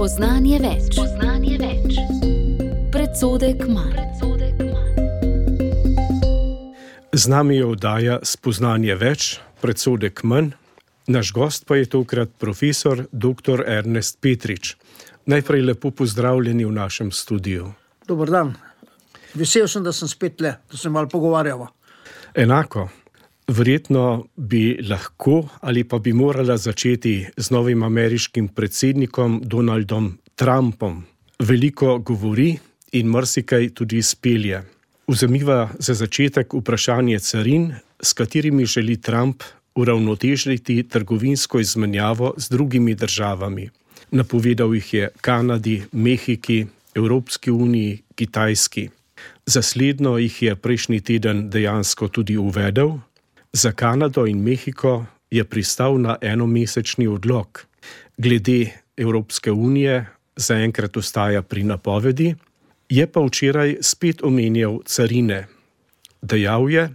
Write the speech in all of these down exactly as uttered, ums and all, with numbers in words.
Spoznanje več. Spoznanje več. Predsodek manj. Z nami je oddaja Spoznanje več, predsodek manj. Naš gost pa je tokrat profesor doktor Ernest Petrič. Najprej lepo pozdravljeni v našem studiu. Dober dan. Vesel sem, da sem spet le, da se malo pogovarjava. Enako. Verjetno bi lahko ali pa bi morala začeti z novim ameriškim predsednikom Donaldom Trumpom. Veliko govori in marsikaj tudi izpelje. Vzemiva za začetek vprašanje carin, s katerimi želi Trump uravnotežiti trgovinsko izmenjavo z drugimi državami. Napovedal jih je Kanadi, Mehiki, Evropski uniji, Kitajski. Za slednjo jih je prejšnji teden dejansko tudi uvedel. Za Kanado in Mehiko je pristal na enomesečni odlog. Glede Evropske unije zaenkrat ostaja pri napovedi, je pa včeraj spet omenjal carine. Dejal je,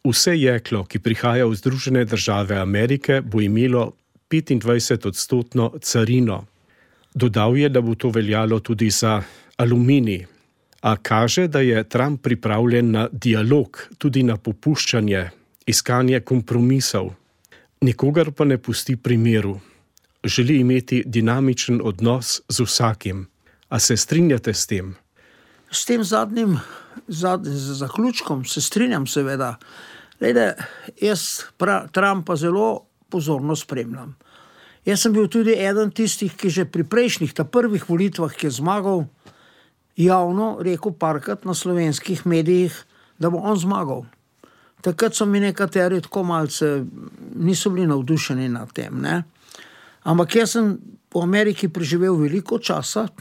vse jeklo, ki prihaja v Združene države Amerike, bo imelo petindvajset odstotno carino. Dodal je, da bo to veljalo tudi za aluminij. A kaže, da je Trump pripravljen na dialog, tudi na popuščanje, iskanje kompromisov. Nikogar pa ne pusti pri miru. Želi imeti dinamičen odnos z vsakim. A se strinjate s tem? S tem zadnjim, zadnjim zaključkom se strinjam seveda. Lejde, jaz pra, Trumpa zelo pozorno spremljam. Jaz sem bil tudi eden tistih, ki že pri prejšnjih, ta prvih volitvah, ki je zmagal, javno rekel parkrat na slovenskih medijih, da bo on zmagal. Takrat so mi nekateri tako malce niso bili navdušeni nad tem, ne. Ampak jaz sem v Ameriki preživel veliko časa, e,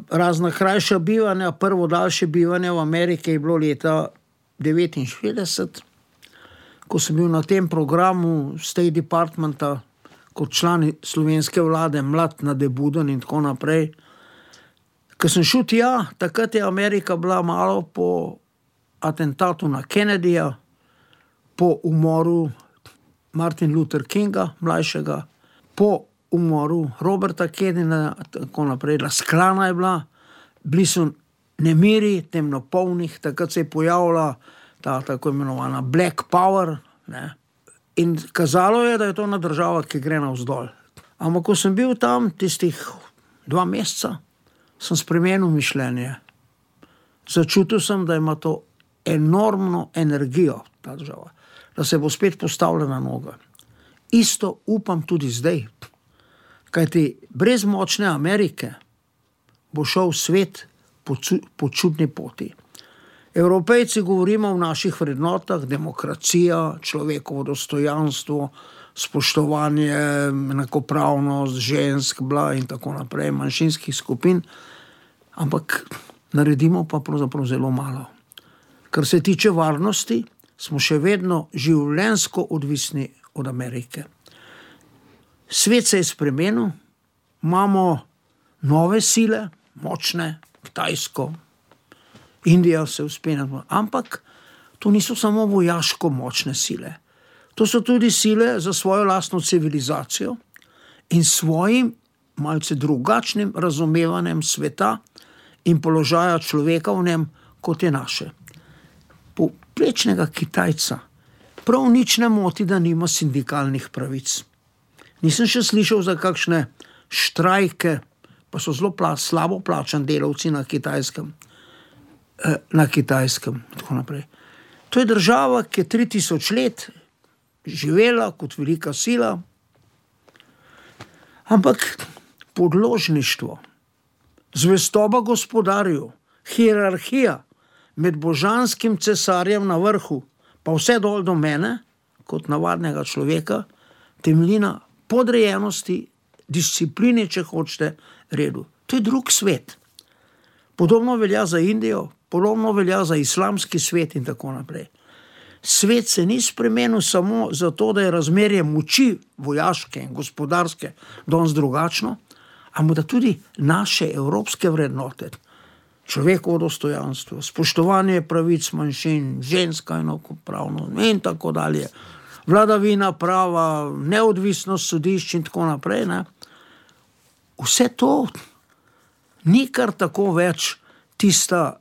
razna krajša bivanja, prvo daljše bivanje v Ameriki je bilo leta devetinšestdeset, ko sem bil na tem programu State Departmenta kot član slovenske vlade, mlad, nadebuden in tako naprej. Ko sem šel tja, takrat je Amerika bila malo po atentatu na Kennedyja, po umoru Martin Luther Kinga, mlajšega, po umoru Roberta Kennedyja, tako naprej, razklana je bila, bili so nemiri, temnopolnih, takrat se je pojavila ta tako imenovana Black Power, ne, in kazalo je, da je to ena država, ki gre navzdol. Ampak ko sem bil tam tistih dva meseca, sem spremenil mišljenje. Začutil sem, da ima to enormno energijo, ta država, da se bo spet postavila na noge. Isto upam tudi zdaj, kajti brez močne Amerike bo šel svet po, po čudni poti. Evropejci govorimo o naših vrednotah, demokracija, človekovo dostojanstvo, spoštovanje, enakopravnost žensk, bla in tako naprej, manjšinskih skupin, ampak naredimo pa pravzaprav zelo malo. Kar se tiče varnosti, smo še vedno življenjsko odvisni od Amerike. Svet se je spremenil, imamo nove sile, močne, Kitajsko, Indija se vzpenja, ampak to niso samo vojaško močne sile. To so tudi sile za svojo lastno civilizacijo in svojim malce drugačnim razumevanjem sveta in položaja človeka v njem, kot je naše. Povprečnega Kitajca prav nič ne moti, da nima sindikalnih pravic. Nisem še slišal za kakšne štrajke, pa so zelo pla, slabo plačani delavci na Kitajskem. Eh, na Kitajskem, tako naprej. To je država, ki je tri tisoč let živela kot velika sila, ampak podložništvo, zvestoba gospodarju, hierarhija med božanskim cesarjem na vrhu, pa vse dol do mene, kot navadnega človeka, temelji na podrejenosti, disciplini, če hočete, redu. To je drug svet. Podobno velja za Indijo, podobno velja za islamski svet in tako naprej. Svet se ni spremenil samo zato, da je razmerje moči vojaške in gospodarske danes drugačno, ampak da tudi naše evropske vrednote, človekovo dostojanstvo, spoštovanje pravic manjšin, ženska enakopravnost in tako dalje, vladavina prava, neodvisnost sodišč in tako naprej, ne, vse to ni kar tako več tista,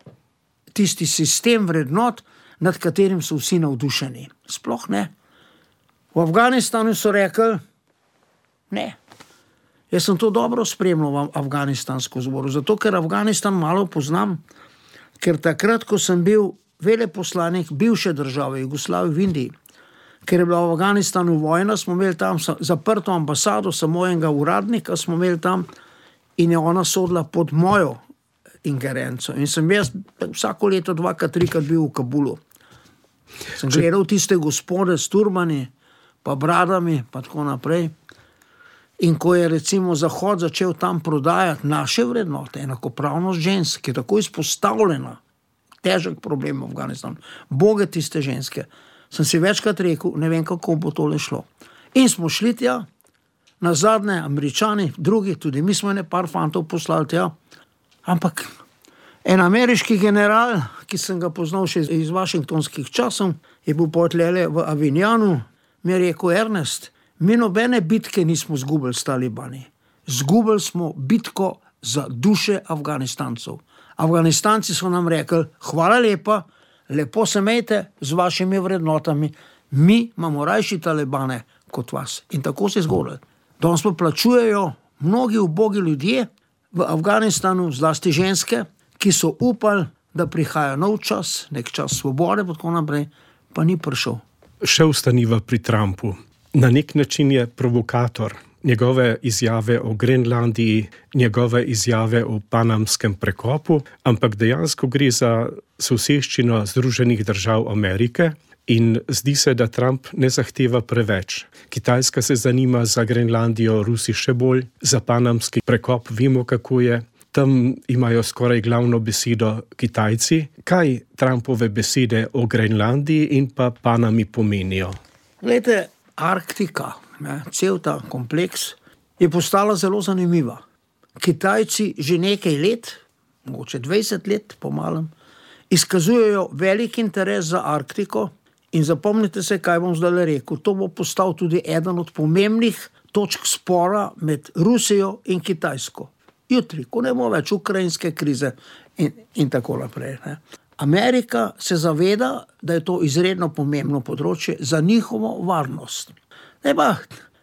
tisti sistem vrednot, nad katerim so vsi navdušeni. Sploh ne. V Afganistanu so rekli, ne. Jaz sem to dobro spremljal v afganistansko zboru, zato ker Afganistan malo poznam, ker takrat, ko sem bil veleposlanik bivše države Jugoslavije v Indiji, ker je bila v Afganistanu vojna, smo imeli tam zaprto ambasado, samo enega uradnika smo imeli tam in je ona sodila pod mojo ingerenco. In sem jaz vsako leto dvakrat, trikrat bil v Kabulu. Sem gledal tiste gospode s turbani, pa bradami, pa tako naprej. In ko je recimo Zahod začel tam prodajati naše vrednote, enakopravnost žensk, ki je tako izpostavljena, težek problem v Afganistanu, boge tiste ženske, sem si večkrat rekel, ne vem, kako bo tole šlo. In smo šli tja, na zadnje Američani, drugi, tudi mi smo ene par fantov poslali tja, ampak en ameriški general, ki sem ga poznal še iz washingtonskih časov, je bil potlele v Avignanu, mi je rekel, Ernest, mi nobene bitke nismo zgubili s talibani. Zgubili smo bitko za duše Afganistancov. Afganistanci so nam rekli, hvala lepa, lepo se imejte z vašimi vrednotami, mi imamo rajši talibane kot vas. In tako se je zgodilo. Danes pa plačujejo mnogi ubogi ljudje v Afganistanu, zlasti ženske, ki so upali, da prihaja nov čas, nek čas svobode, pa tako naprej, pa ni prišel. Še ostaniva pri Trumpu. Na nek način je provokator. Njegove izjave o Grenlandiji, njegove izjave o panamskem prekopu, ampak dejansko gre za soseščino Združenih držav Amerike in zdi se, da Trump ne zahteva preveč. Kitajska se zanima za Grenlandijo, Rusi še bolj, za panamski prekop vemo, kako je. Tam imajo skoraj glavno besedo Kitajci. Kaj Trumpove besede o Grenlandiji in pa Panami pomenijo? Glejte, Arktika, ne, cel ta kompleks, je postala zelo zanimiva. Kitajci že nekaj let, mogoče dvajset let po malem, izkazujejo velik interes za Arktiko in zapomnite se, kaj bom zdaj rekel. To bo postal tudi eden od pomembnih točk spora med Rusijo in Kitajsko. Jutri, ko ne bo več ukrajinske krize in, in tako naprej. Ne. Amerika se zaveda, da je to izredno pomembno področje za njihovo varnost. Ne pa,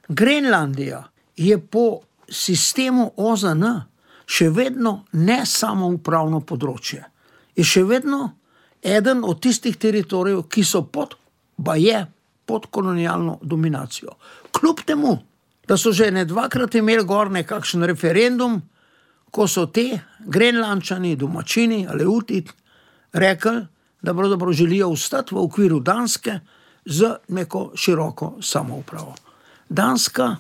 Grenlandija je po sistemu O Z N še vedno ne samoupravno področje. Je še vedno eden od tistih teritorijev, ki so pod, ba je, pod kolonialno dominacijo. Kljub temu, da so že ne dvakrat imeli gor nekakšen referendum, ko so te Grenlandčani, domačini, Aleuti, rekli, da pravzaprav želijo ostati v okviru Danske z neko široko samoupravo. Danska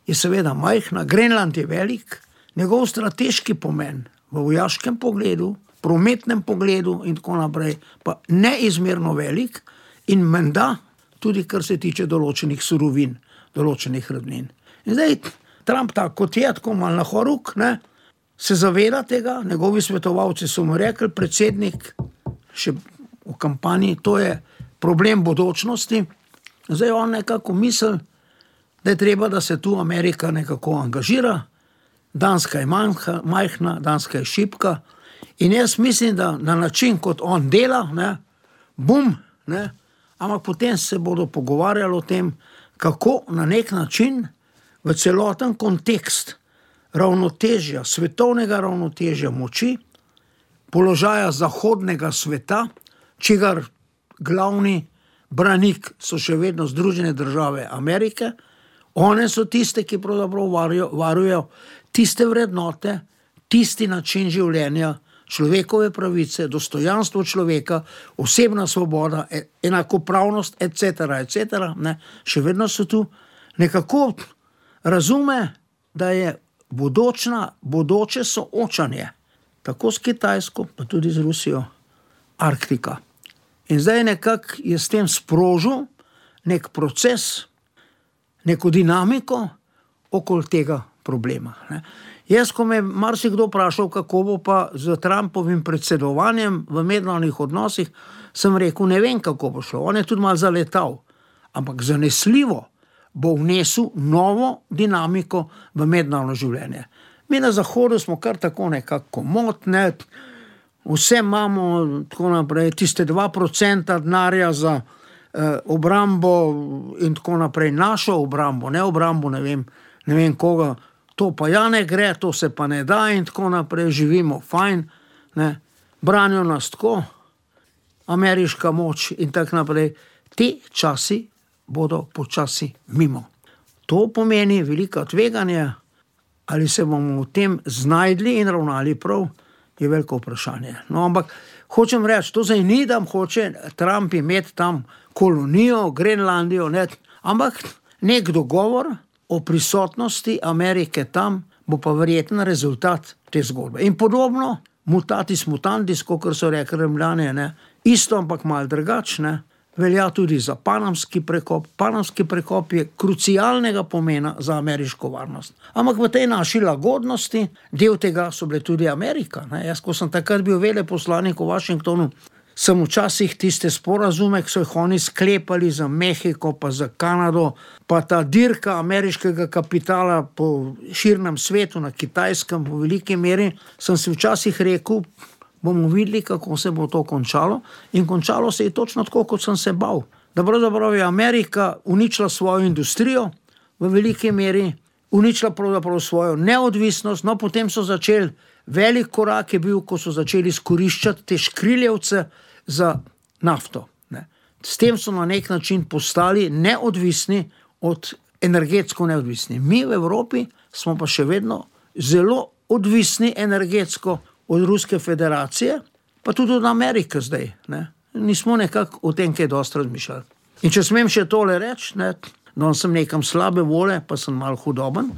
je seveda majhna, Grenland je velik, njegov strateški pomen v vojaškem pogledu, prometnem pogledu in tako naprej, pa neizmerno velik in menda tudi kar se tiče določenih surovin, določenih rudnin. In zdaj Trump tako kot je, tako mal na horuk, ne, se zaveda tega, njegovi svetovalci so mu rekli, predsednik, še v kampanji, to je problem bodočnosti. Zdaj on nekako misli, da je treba, da se tu Amerika nekako angažira, Danska je manjka, majhna, Danska je šibka in jaz mislim, da na način, kot on dela, ne, bum, ne, ampak potem se bodo pogovarjali o tem, kako na nek način v celoten kontekst ravnotežja, svetovnega ravnotežja moči, položaja zahodnega sveta, čigar glavni branik so še vedno Združene države Amerike, one so tiste, ki pravzaprav varujo, varujo tiste vrednote, tisti način življenja, človekove pravice, dostojanstvo človeka, osebna svoboda, enakopravnost, et cetera, et cetera, ne, še vedno so tu, nekako razume, da je bodočna, bodoče soočanje, tako s Kitajsko, pa tudi z Rusijo, Arktika. In zdaj nekako je s tem sprožil nek proces, neko dinamiko okoli tega problema. Ne. Jaz, ko me marsikdo vprašal, kako bo pa z Trumpovim predsedovanjem v mednarodnih odnosih, sem rekel, ne vem, kako bo šlo. On je tudi malo zaletal, ampak zanesljivo bo vnesel novo dinamiko v mednarodno življenje. Mi na Zahodu smo kar tako nekako komotne, vse imamo, tako naprej, tiste dva procenta denarja za eh, obrambo in tako naprej, našo obrambo, ne obrambo, ne vem, ne vem koga, to pa ja ne gre, to se pa ne da in tako naprej, živimo fajn, ne, branijo nas tako, ameriška moč in tako naprej. Te časi bodo počasi mimo. To pomeni velika tveganje, ali se bomo v tem znajdli in ravnali prav, je veliko vprašanje. No, ampak hočem reči, to zdaj ni, da hoče Trump imeti tam kolonijo, Grenlandijo, ne, ampak nek dogovor o prisotnosti Amerike tam bo pa verjeten rezultat te zgodbe. In podobno, mutatis mutandis, kot so rekli Rimljani, ne, isto, ampak malo drugačne, velja tudi za panamski prekop. Panamski prekop je krucialnega pomena za ameriško varnost. Ampak v tej naši lagodnosti, del tega so bile tudi Amerika. Ne. Jaz, ko sem takrat bil veleposlanik v Washingtonu, sem včasih tiste sporazume, ki so jih oni sklepali za Mehiko, pa za Kanado, pa ta dirka ameriškega kapitala po širnem svetu, na Kitajskem, v veliki meri, sem si včasih rekel, bomo videli, kako se bo to končalo. In končalo se je točno tako, kot sem se bal. Da pravzaprav je Amerika uničila svojo industrijo, v veliki meri uničila pravzaprav svojo neodvisnost, no potem so začeli, velik korak je bil, ko so začeli izkoriščati te škriljevce za nafto. Ne. S tem so na nek način postali neodvisni od energetsko neodvisni. Mi v Evropi smo pa še vedno zelo odvisni energetsko od Ruske federacije, pa tudi od Amerike zdaj. Ne. Nismo nekako o tem kaj dosti razmišljali. In če smem še tole reči, ne, da sem nekam slabe vole, pa sem malo hudoben,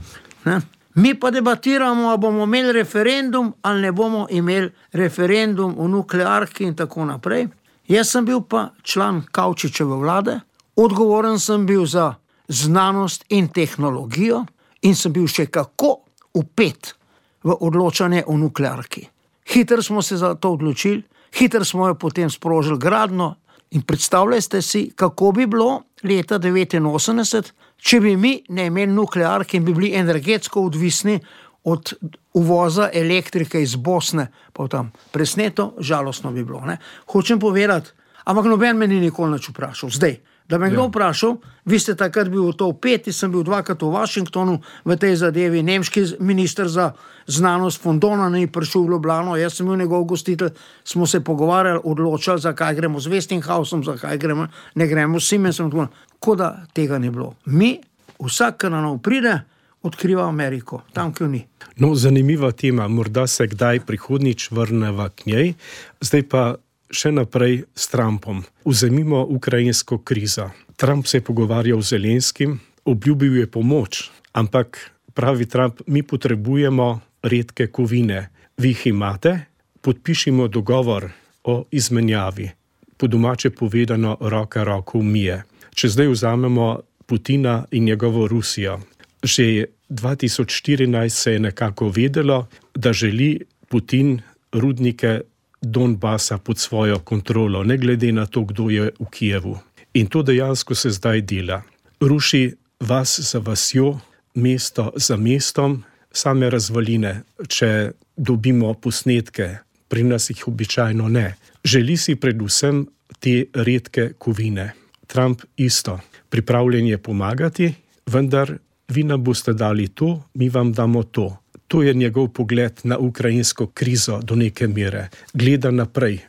ne. Mi pa debatiramo, ali bomo imeli referendum, ali ne bomo imeli referendum o nuklearki in tako naprej. Jaz sem bil pa član Kavčičeve vlade, odgovoren sem bil za znanost in tehnologijo in sem bil še kako vpet v odločanje o nuklearki. Hitro smo se za to odločili, hitro smo jo potem sprožili gradno in predstavljajte si, kako bi bilo leta devetinosemdeset, če bi mi ne imeli nuklearke in bi bili energetsko odvisni od uvoza elektrike iz Bosne, pa tam presneto, žalostno bi bilo. Ne? Hočem povedati, ampak noben me ni nikoli nič vprašal. Zdaj, da me kdo vprašal, vi ste takrat bil v to vpeti, sem bil dvakrat v Washingtonu v tej zadevi, nemški minister za znanost von Donan je prišel v Ljubljano, jaz sem bil njegov gostitelj, smo se pogovarjali, odločali, zakaj gremo z Westinghousom, zakaj gremo, ne gremo s Siemensom, tako da tega ni bilo. Mi, vsak, ki na nov pride, odkriva Ameriko, tam, ki jo ni. No, zanimiva tema, morda se kdaj prihodnič vrneva k njej, zdaj pa še naprej s Trumpom. Vzemimo ukrajinsko krizo. Trump se je pogovarjal z Zelenskim, obljubil je pomoč, ampak pravi Trump, mi potrebujemo redke kovine. Vi jih imate, podpišimo dogovor o izmenjavi. Po domače povedano, roka roko umije. Če zdaj vzamemo Putina in njegovo Rusijo. Že dva tisoč štirinajst se je nekako vedelo, da želi Putin rudnike Donbasa pod svojo kontrolo, ne glede na to, kdo je v Kijevu. In to dejansko se zdaj dela. Ruši vas za vasjo, mesto za mestom, same razvaline, če dobimo posnetke, pri nas jih običajno ne. Želi si predvsem te redke kovine. Trump isto. Pripravljen je pomagati, vendar vi nam boste dali to, mi vam damo to. To je njegov pogled na ukrajinsko krizo do neke mere. Gleda naprej.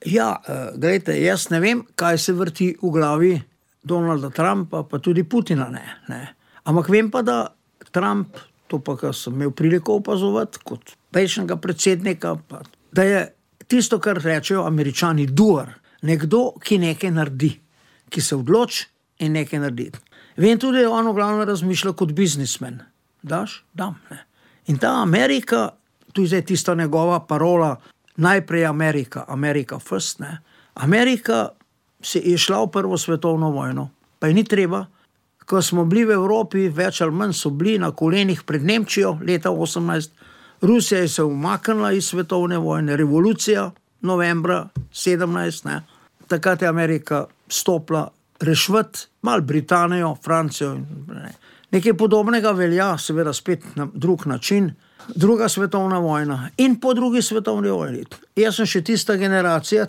Ja, gledajte, jaz ne vem, kaj se vrti v glavi Donalda Trumpa, pa tudi Putina ne. ne. Ampak vem pa, da Trump, to pa, kar sem imel priliko opazovati, kot prejšnjega predsednika, pa, da je tisto, kar rečejo Američani, doer. Nekdo, ki nekaj naredi, ki se odloči in nekaj naredi. Vem tudi, da on v glavnem razmišlja kot biznismen. Daš? Dam, ne. In ta Amerika, tu je zdaj tista njegova parola, najprej Amerika, Amerika first, ne. Amerika se je šla v prvo svetovno vojno, pa je ni treba, ko smo bili v Evropi, več ali manj so bili na kolenih pred Nemčijo leta osemnajst, Rusija je se umaknila iz svetovne vojne, revolucija novembra sedemnajst, ne. Takrat je Amerika stopila rešvati malo Britanijo, Francijo, ne. Nekaj podobnega velja, seveda spet na drug način, druga svetovna vojna in po drugi svetovni vojni. Jaz sem še tista generacija,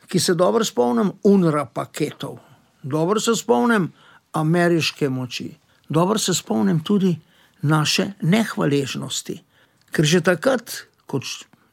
ki se dobro spomnim U N R W A paketov, dobro se spomnim ameriške moči, dobro se spomnim tudi naše nehvaležnosti, ker že takrat, kot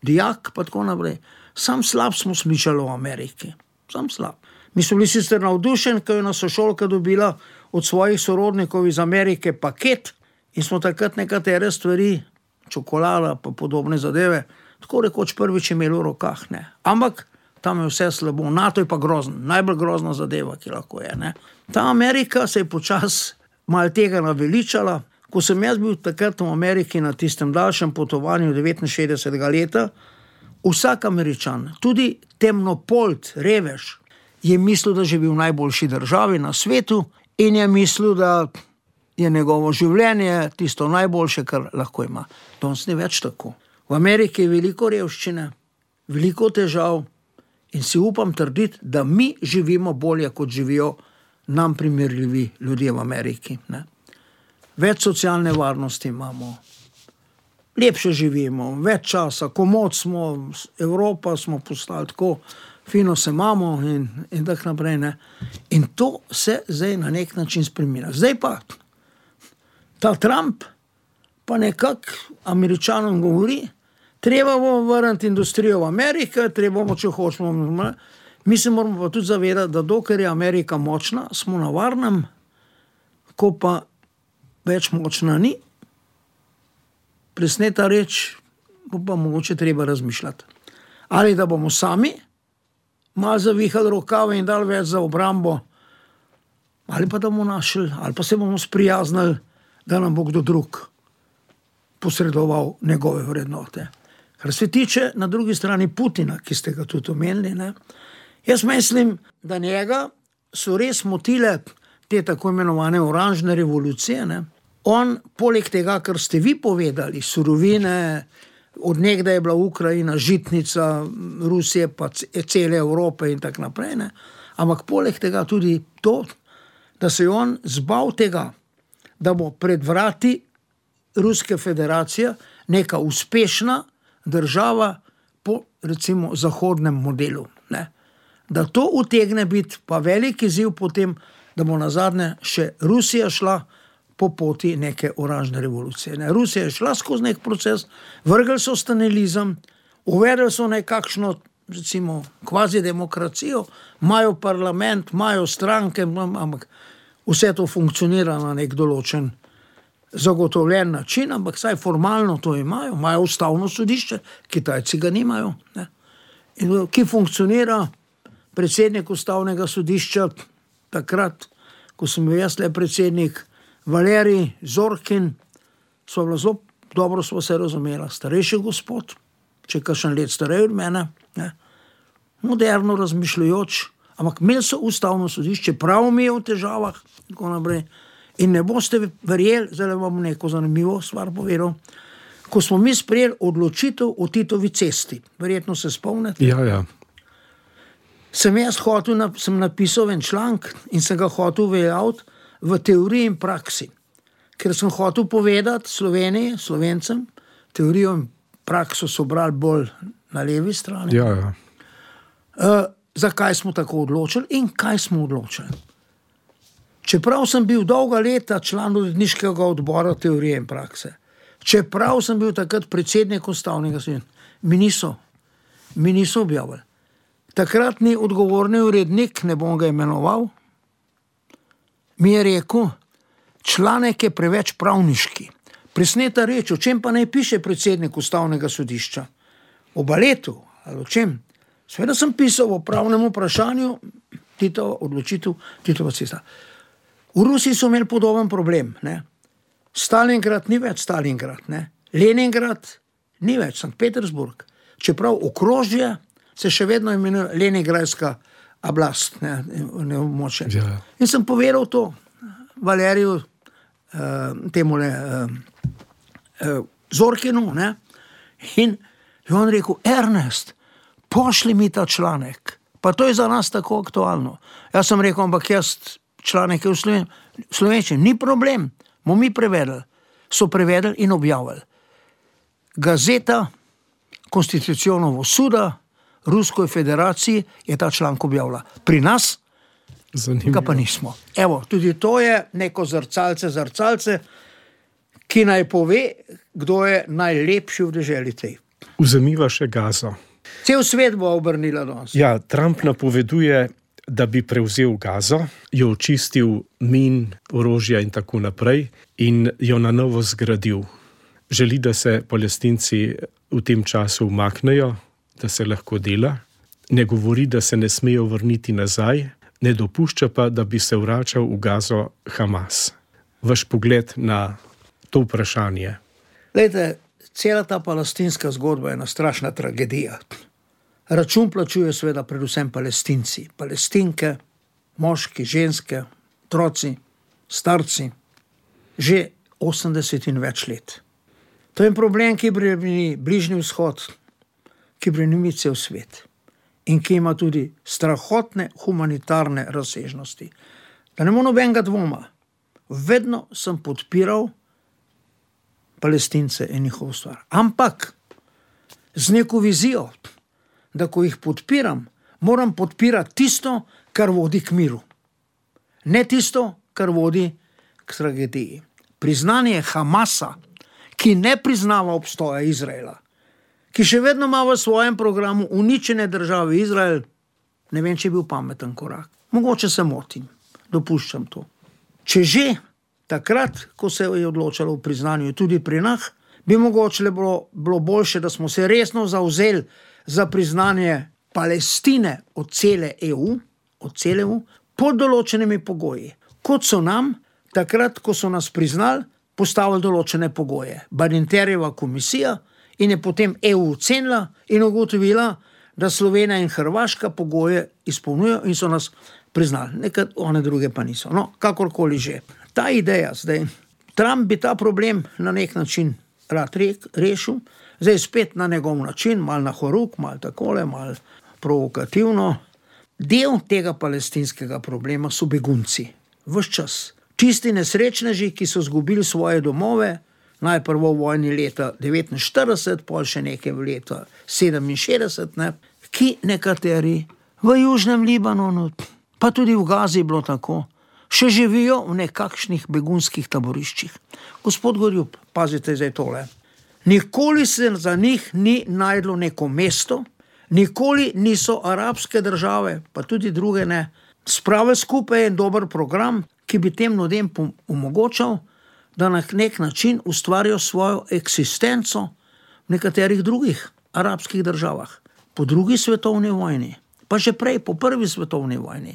dijak pa tako naprej, sam slab smo slišali o Ameriki, sam slab. Mi smo bili sicer navdušeni, ko je nas sošolka dobila od svojih sorodnikov iz Amerike paket in smo takrat nekatere stvari, čokolada pa podobne zadeve, tako rekoč prvič imeli v rokah, ne. Ampak tam je vse slabo, NATO je pa grozen, najbolj grozna zadeva, ki lahko je, ne. Ta Amerika se je počas malo tega naveličala. Ko sem jaz bil takrat v Ameriki na tistem daljšem potovanju devetinšestdesetega leta, vsak Američan, tudi temnopolt, revež, je mislil, da živi v najboljši državi na svetu in je mislil, da je njegovo življenje tisto najboljše, kar lahko ima. Danes ni več tako. V Ameriki je veliko revščine, veliko težav in si upam trditi, da mi živimo bolje, kot živijo nam primerljivi ljudje v Ameriki, ne. Več socialne varnosti imamo, lepše živimo, več časa, komod smo, Evropa smo postali tako, fino se imamo in, in tako naprej, ne. In to se zdaj na nek način spreminja. Zdaj pa ta Trump pa nekako Američanom govori, treba bomo vrniti industrijo v Ameriko, treba bomo, če hočemo. Mi se moramo pa tudi zavedati, da dokler je Amerika močna, smo na varnem, ko pa več močna ni, presneta reč, bo pa mogoče treba razmišljati. Ali da bomo sami malo zavihali rokave in dali več za obrambo, ali pa da bomo našli, ali pa se bomo sprijaznili, da nam bo kdo drug posredoval njegove vrednote. Kar se tiče na drugi strani Putina, ki ste ga tudi omenili, ne, jaz mislim, da njega so res motile te tako imenovane oranžne revolucije, ne. On, poleg tega, kar ste vi povedali, surovine, od nekdaj je bila Ukrajina žitnica Rusije, pa cele Evrope in tako naprej, ne. Ampak poleg tega tudi to, da se je on zbal tega, da bo pred vrati Ruske federacije neka uspešna država po, recimo, zahodnem modelu, ne. Da to utegne biti pa velik izziv potem, da bo nazadnje še Rusija šla po poti neke oranžne revolucije. Ne. Rusija je šla skozi nek proces, vrgli so stalinizem, uvedli so nekakšno, recimo, kvazi demokracijo, imajo parlament, imajo stranke, ampak vse to funkcionira na nek določen zagotovljen način, ampak saj formalno to imajo, imajo ustavno sodišče, Kitajci ga nimajo, ne. In ki funkcionira predsednik ustavnega sodišča, takrat, ko sem bil jaz le predsednik, Valerij Zorkin, sva bila zelo dobro, sva se razumela, starejši gospod, če kakšen let starej od mene, ne, moderno razmišljajoč, ampak imeli so ustavno sodišče, prav mi je v težavah, tako naprej. In ne boste verjeli, zdaj vam neko zanimivo stvar povedal, ko smo mi sprejeli odločitev o Titovi cesti, verjetno se spomnite. Ja, ja. Sem jaz hotel, sem napisal en članek in sem ga hotel uveljaviti v teoriji in praksi. Ker sem hotel povedati Sloveniji, Slovencem, teorijo in prakso so brali bolj na levi strani. Ja, ja. Uh, zakaj smo tako odločili in kaj smo odločili. Čeprav sem bil dolga leta član uredniškega odbora teorije in prakse, čeprav sem bil takrat predsednik ustavnega sodišča, mi niso, mi niso objavili. Takratni odgovorni urednik, ne bom ga imenoval, mi je rekel, članek je preveč pravniški. Presneta reč, o čem pa naj piše predsednik ustavnega sodišča? O baletu, ali o čem? Seveda sem pisal o pravnem vprašanju, Titova odločitev, Titova cesta. V Rusiji so imeli podoben problem, ne. Stalingrad ni več Stalingrad, ne. Leningrad ni več Sankt Petersburg. Čeprav okrožje se še vedno imenuje Leningradska oblast, ne, ne območje. Ja. In sem povedal to Valeriju, uh, temule uh, uh, Zorkinu, ne, in je on rekel, Ernest, pošli mi ta članek, pa to je za nas tako aktualno. Jaz sem rekel, ampak jaz članek je v Slovenčini, ni problem, Mo mi prevedli, so prevedli in objavili. Gazeta Konstitucionovo suda Ruskoj federaciji je ta članek objavila. Pri nas ga pa nismo. Evo, tudi to je neko zrcalce, zrcalce, ki naj pove, kdo je najlepši v deželi tej. Vzemiva še Gazo. Cel svet bo obrnila danes. Ja, Trump napoveduje, da bi prevzel Gazo, jo očistil min, orožja in tako naprej in jo na novo zgradil. Želi, da se Palestinci v tem času umaknejo, da se lahko dela. Ne govori, da se ne smejo vrniti nazaj, ne dopušča pa, da bi se vračal v Gazo Hamas. Vaš pogled na to vprašanje? Glejte, cela ta palestinska zgodba je ena strašna tragedija. Račun plačujejo seveda predvsem Palestinci. Palestinke, moški, ženske, otroci, starci, že osemdeset in več let. To je problem, ki bremeni Bližnji vzhod, ki bremeni cel svet in ki ima tudi strahotne humanitarne razsežnosti. Da ne bo nobenega dvoma, vedno sem podpiral Palestince in njihovo stvar. Ampak z neko vizijo, da ko jih podpiram, moram podpirati tisto, kar vodi k miru. Ne tisto, kar vodi k tragediji. Priznanje Hamasa, ki ne priznava obstoja Izraela, ki še vedno ima v svojem programu uničene države Izrael, ne vem, če je bil pameten korak. Mogoče se motim, dopuščam to. Če že takrat, ko se je odločalo o priznanju tudi pri nas, bi mogoče bilo, bilo boljše, da smo se resno zavzeli za priznanje Palestine od cele E U, od cele E U, pod določenimi pogoji. Kot so nam, takrat, ko so nas priznali, postavili določene pogoje. Badinterjeva komisija in je potem E U ocenila in ugotovila, da Slovenija in Hrvaška pogoje izpolnjujejo in so nas priznali. Nekaj one druge pa niso. No, kakorkoli že. Ta ideja zdaj, Trump bi ta problem na nek način rad rešil, zdaj spet na njegov način, mal na horuk, mal takole, mal provokativno. Del tega palestinskega problema so begunci. Ves čas. Čisti nesrečneži, ki so zgubili svoje domove, najprej v vojni leta devetinštirideset, pol še nekaj v leta sedeminšestdeset, ne, ki nekateri v Južnem Libanonu, pa tudi v Gazi je bilo tako, še živijo v nekakšnih begunskih taboriščih. Gospod Gorjup, pazite zdaj tole. Nikoli se za njih ni najdlo neko mesto, nikoli niso arabske države, pa tudi druge ne, spravili skupaj en dober program, ki bi tem ljudem omogočal, da na nek način ustvarijo svojo eksistenco v nekaterih drugih arabskih državah. Po drugi svetovni vojni, pa že prej, po prvi svetovni vojni.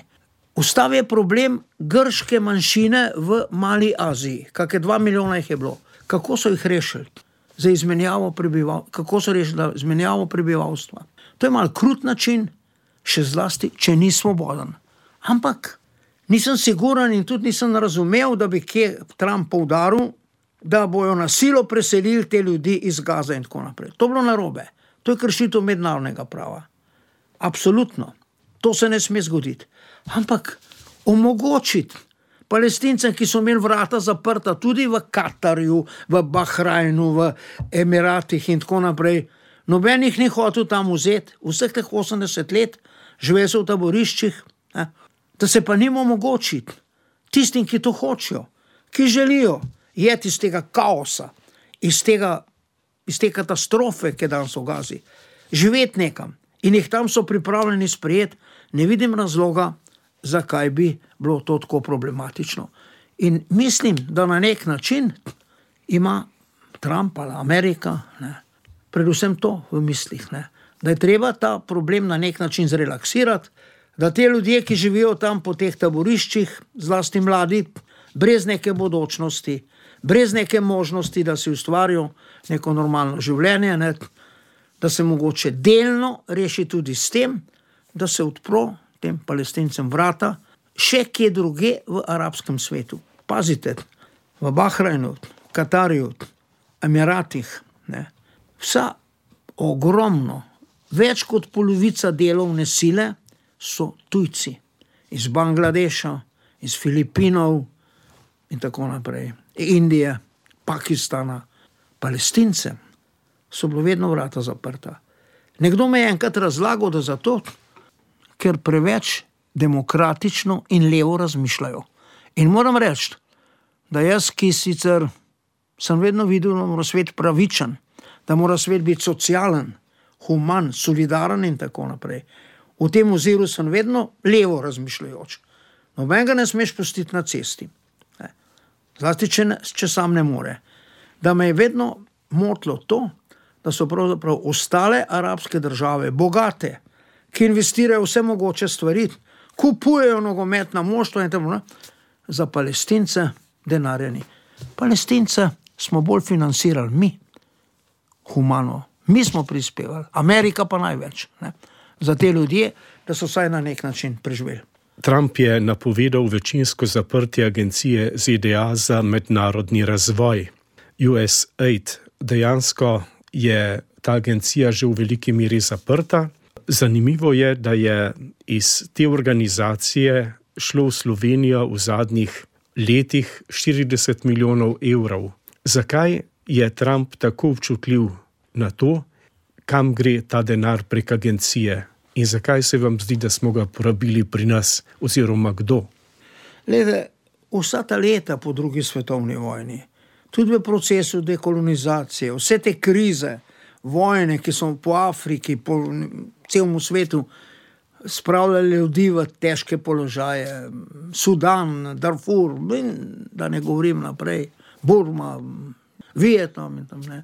Ustal je problem grške manjšine v Mali Aziji, kakšne dva milijona jih je bilo. Kako so jih rešili? Za izmenjavo prebival, kako so rešili izmenjavo prebivalstva? To je mal krut način, še zlasti, če ni svoboden. Ampak nisem siguren in tudi nisem razumel, da bi kje Trump poudaril, da bojo na silo preselili te ljudi iz Gaze in tako naprej. To je bilo narobe. To je kršitev mednarodnega prava. Absolutno. To se ne sme zgoditi. Ampak omogočiti Palestincem, ki so imeli vrata zaprta tudi v Katarju, v Bahrajnu, v Emiratih in tako naprej, noben jih ni hotel tam vzeti, vseh teh osemdeset let živel so v taboriščih, ne? Da se pa njim omogočiti, tistim, ki to hočejo, ki želijo jeti iz tega kaosa, iz, tega, iz te katastrofe, ki je danes v Gazi, živeti nekam in jih tam so pripravljeni sprejeti, ne vidim razloga, zakaj bi bilo to tako problematično. In mislim, da na nek način ima Trump ali Amerika, ne, predvsem to v mislih, ne, da je treba ta problem na nek način zrelaksirati, da te ljudje, ki živijo tam po teh taboriščih, zlasti mladi, brez neke bodočnosti, brez neke možnosti, da si ustvarijo neko normalno življenje, ne, da se mogoče delno reši tudi s tem, da se odpro tem Palestincem vrata, še kje druge v arabskem svetu. Pazite, v Bahrajnu, Katarju, Emiratih, ne, vsa ogromno, več kot polovica delovne sile so tujci, iz Bangladeša, iz Filipinov in tako naprej. Indije, Pakistana, Palestincem so bilo vedno vrata zaprta. Nekdo me je enkrat razlagal, da zato, ker preveč demokratično in levo razmišljajo. In moram reči, da jaz, ki sicer sem vedno videl, da mora svet pravičen, da mora svet biti socialen, human, solidaren in tako naprej. V tem oziru sem vedno levo razmišljajoč. Nobenega ne smeš pustiti na cesti. Zlasti, če, ne, če sam ne more. Da me je vedno motilo to, da so pravzaprav ostale arabske države bogate, ki investirajo vse mogoče stvari, kupujejo nogometna moštva in tako naprej, za Palestince denarja ni. Palestince smo bolj financirali mi, humano. Mi smo prispevali, Amerika pa največ, ne, za te ljudje, da so vsaj na nek način preživeli. Trump je napovedal večinsko zaprtje agencije Z D A za mednarodni razvoj, U S A I D. Dejansko je ta agencija že v veliki meri zaprta. Zanimivo je, da je iz te organizacije šlo v Slovenijo v zadnjih letih štirideset milijonov evrov. Zakaj je Trump tako občutljiv na to, kam gre ta denar prek agencije? In zakaj se vam zdi, da smo ga porabili pri nas, oziroma kdo? Lede, vsa ta leta po drugi svetovni vojni, tudi v procesu dekolonizacije, vse te krize, vojne, ki so po Afriki, po celemu svetu spravljali ljudi v težke položaje, Sudan, Darfur, da ne govorim naprej, Burma, Vietnam in tam ne.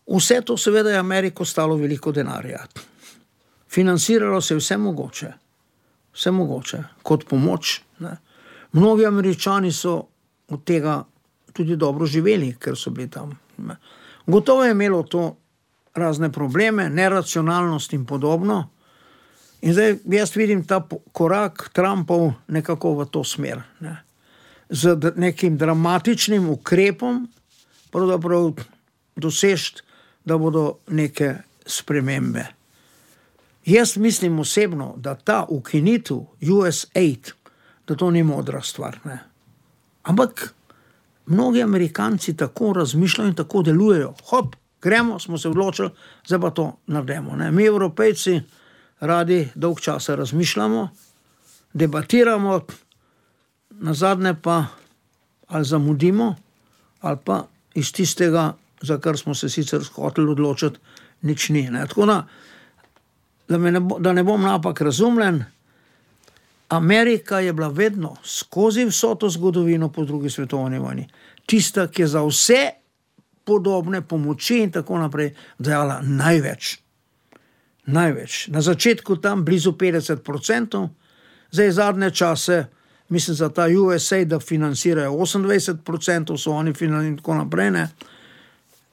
Vse to seveda je Ameriko stalo veliko denarja. Financiralo se vse mogoče, vse mogoče, kot pomoč. Ne. Mnogi Američani so od tega tudi dobro živeli, ker so bili tam. Ne. Gotovo je imelo to razne probleme, neracionalnost in podobno. In zdaj jaz vidim ta korak Trumpov nekako v to smer. Ne. Z nekim dramatičnim ukrepom pravzaprav dosežiti, da bodo neke spremembe. Jaz mislim osebno, da ta ukinitev U S A I D, da to ni modra stvar. Ne. Ampak mnogi Amerikanci tako razmišljajo in tako delujejo. Hop, gremo, smo se odločili, zdaj pa to naredimo. Ne. Mi, Evropejci, radi dolg časa razmišljamo, debatiramo, nazadnje pa ali zamudimo, ali pa iz tistega, za kar smo se sicer hoteli odločiti, nič ni. Ne. Tako da, da, ne bo, da ne bom napak razumljen, Amerika je bila vedno skozi vso to zgodovino po drugi svetovni vojni tista, ki je za vse podobne pomoči in tako naprej dajala največ. Največ. Na začetku tam blizu petdeset procentov, zdaj zadnje čase, mislim za ta U S A I D, da financirajo osemindvajset procentov, so oni financirali in tako naprej. Ne.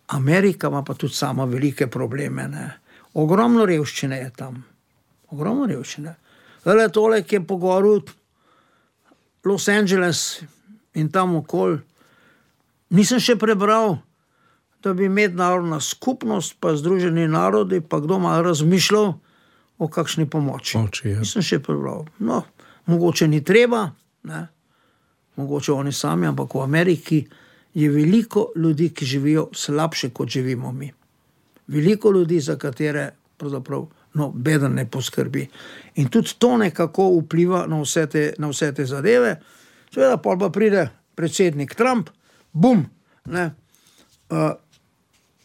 Amerika ima pa tudi sama velike probleme. Ne. Ogromno revščine je tam. Ogromno revščine. Zdaj tole, ki je po goru Los Angeles in tam okoli, nisem še prebral, da bi mednarodna skupnost, pa Združeni narodi, pa kdo malo razmišljal o kakšni pomoči. Oči, ja. Nisem še prebral. No, mogoče ni treba, ne? Mogoče oni sami, ampak v Ameriki je veliko ljudi, ki živijo slabše, kot živimo mi. Veliko ljudi, za katere pravzaprav no, beden ne poskrbi. In tudi to nekako vpliva na vse te, na vse te zadeve. Seveda pol pa pride predsednik Trump, bum, ne, uh,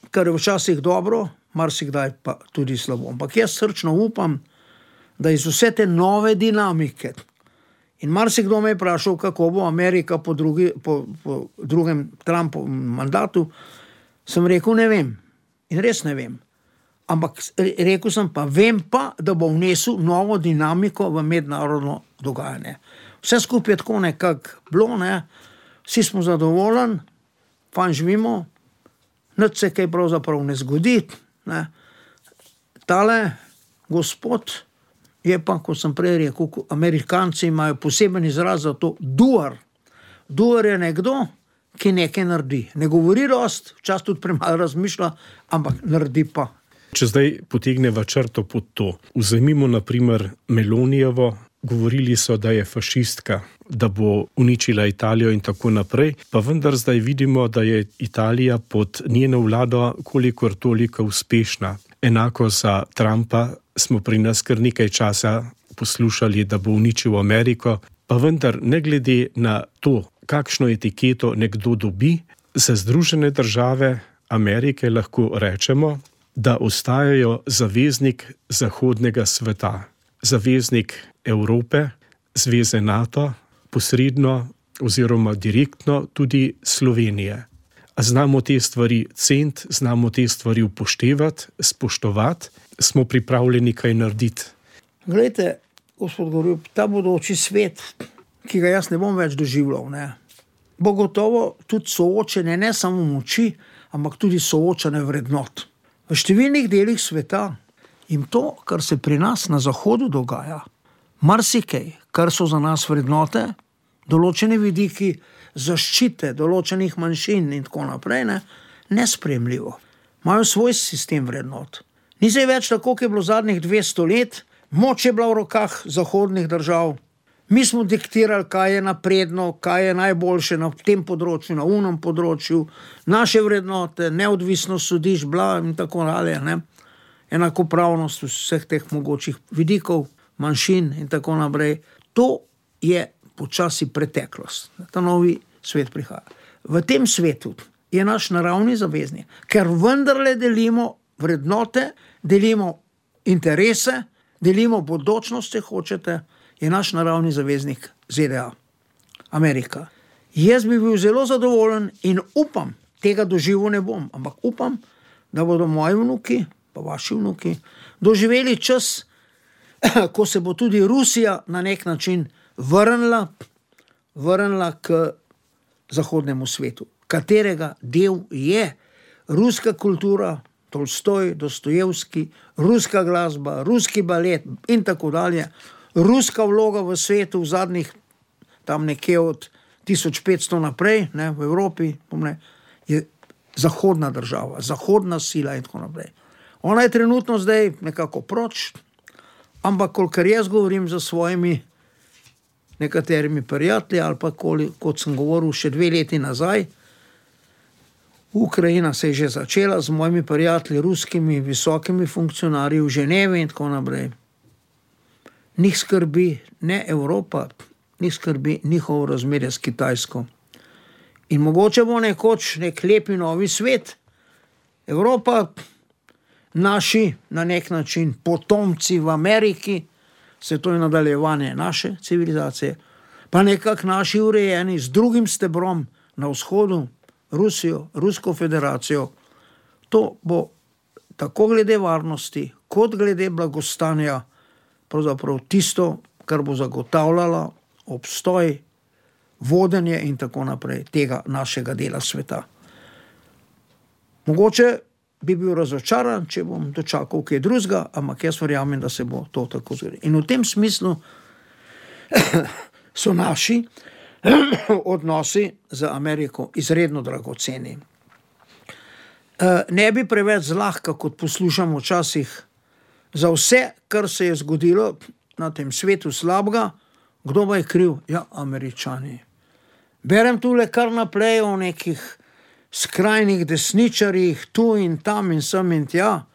kar je včasih dobro, marsikdaj pa tudi slabo. Ampak jaz srčno upam, da iz vse te nove dinamike, in marsikdo me je vprašal, kako bo Amerika po, drugi, po, po drugem Trumpovem mandatu, sem rekel, ne vem. In res ne vem. Ampak rekel sem pa, vem pa, da bo vnesel novo dinamiko v mednarodno dogajanje. Vse skupaj je tako nekako bilo, ne? Vsi smo zadovoljni, fajn živimo, nič se kaj pravzaprav ne zgodi. Ne? Tale gospod je pa, kot sem prej rekel, Amerikanci imajo poseben izraz za to, doer. Doer je nekdo, ki nekaj naredi. Ne govori dost, včasih tudi premalo razmišlja, ampak naredi pa. Če zdaj potegneva črto pod to, vzemimo na primer Melonijevo govorili so, da je fašistka, da bo uničila Italijo in tako naprej, pa vendar zdaj vidimo, da je Italija pod njeno vlado kolikor toliko uspešna. Enako za Trumpa smo pri nas kar nekaj časa poslušali, da bo uničil Ameriko, pa vendar ne glede na to, kakšno etiketo nekdo dobi, za Združene države Amerike lahko rečemo, da ostajajo zaveznik zahodnega sveta, zaveznik Evrope, zveze NATO, posredno oziroma direktno tudi Slovenije. A znamo te stvari ceniti, znamo te stvari upoštevati, spoštovati, smo pripravljeni kaj narediti. Glejte, gospod Gorjup, ta bodoči svet, ki ga jaz ne bom več doživljal, ne, bo gotovo tudi soočenje ne samo moči, ampak tudi soočanje vrednot. V številnih delih sveta in to, kar se pri nas na zahodu dogaja, marsikaj, kar so za nas vrednote, določene vidiki zaščite določenih manjšin in tako naprej, ne, nesprejemljivo. Imajo svoj sistem vrednot. Ni zdaj več tako, kot je bilo zadnjih dvesto let, moč je bila v rokah zahodnih držav. Mi smo diktirali, kaj je napredno, kaj je najboljše na tem področju, na unem področju, naše vrednote, neodvisnost sodišč, bla in tako dalje, ne. Enakopravnost vseh teh mogočih vidikov, manjšin in tako naprej. To je počasi preteklost. Ta novi svet prihaja. V tem svetu je naš naravni zaveznik, ker vendarle delimo vrednote, delimo interese, delimo bodočnost, če hočete, je naš naravni zaveznik Z D A, Amerika. Jaz bi bil zelo zadovoljen in upam, tega doživel ne bom, ampak upam, da bodo moji vnuki, pa vaši vnuki, doživeli čas, ko se bo tudi Rusija na nek način vrnila, vrnila k zahodnemu svetu, katerega del je ruska kultura, Tolstoj, Dostojevski, ruska glasba, ruski balet in tako dalje. Ruska vloga v svetu v zadnjih, tam nekje od tisoč petsto naprej, ne, v Evropi, pomne, je zahodna država, zahodna sila in tako naprej. Ona je trenutno zdaj nekako proč, ampak kolikor jaz govorim za svojimi nekaterimi prijatelji, ali pa kot sem govoril še dve leti nazaj, Ukrajina se je že začela z mojimi prijatelji, ruskimi visokimi funkcionarji v Ženevi in tako naprej. Njih skrbi ne Evropa, njih skrbi njihovo razmerje s Kitajsko. In mogoče bo nekoč nek lepi novi svet. Evropa, naši na nek način potomci v Ameriki, se to je nadaljevanje naše civilizacije, pa nekako naši urejeni z drugim stebrom na vzhodu, Rusijo, Rusko federacijo. To bo tako glede varnosti, kot glede blagostanja, pravzaprav tisto, kar bo zagotavljalo obstoj, vodenje in tako naprej tega našega dela sveta. Mogoče bi bil razočaran, če bom dočakal kaj drugega, ampak jaz verjamem, da se bo to tako zgodilo. In v tem smislu so naši odnosi z Ameriko izredno dragoceni. Ne bi preveč zlahka, kot poslušamo včasih, za vse, kar se je zgodilo na tem svetu slabega, kdo pa je kriv? Ja, Američani. Berem tule kar naprej o nekih skrajnih desničarjih, tu in tam in sem in tja,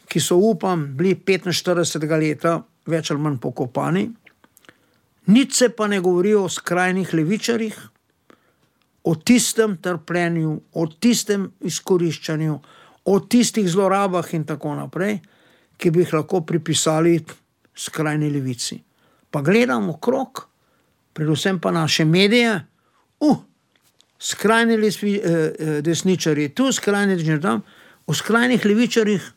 ki so, upam, bili petinštiridesetega leta več ali manj pokopani. Nič se pa ne govori o skrajnih levičarjih, o tistem trpljenju, o tistem izkoriščanju, o tistih zlorabah in tako naprej, ki bi jih lahko pripisali skrajni levici. Pa gledamo okrog, predvsem pa naše medije, uh, skrajni lesvi, eh, desničarji tu, skrajni desničarji tam, o skrajnih levičarjih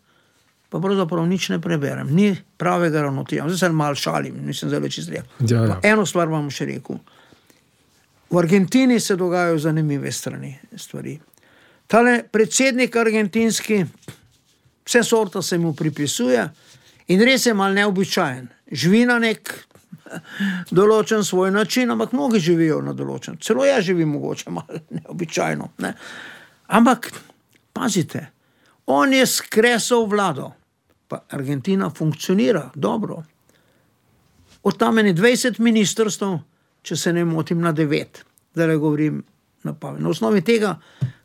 pa pravzaprav nič ne preberem, ni pravega ravnotežja. Zdaj se malo šalim, nisem zelo čisto rekel. Ja, ja. Eno stvar vam še rekel. V Argentini se dogajajo zanimive strani stvari. Tale predsednik argentinski, vse sorta se mu pripisuje in res je mal neobičajen. Živi na nek določen svoj način, ampak mnogi živijo na določen. Celo jaz živim mogoče mal neobičajno. Ne? Ampak, pazite, on je skresal vlado, pa Argentina funkcionira dobro. od tam je dvajset ministrstv, če se ne motim, na devet. Da le govorim na pamet. Na osnovi tega,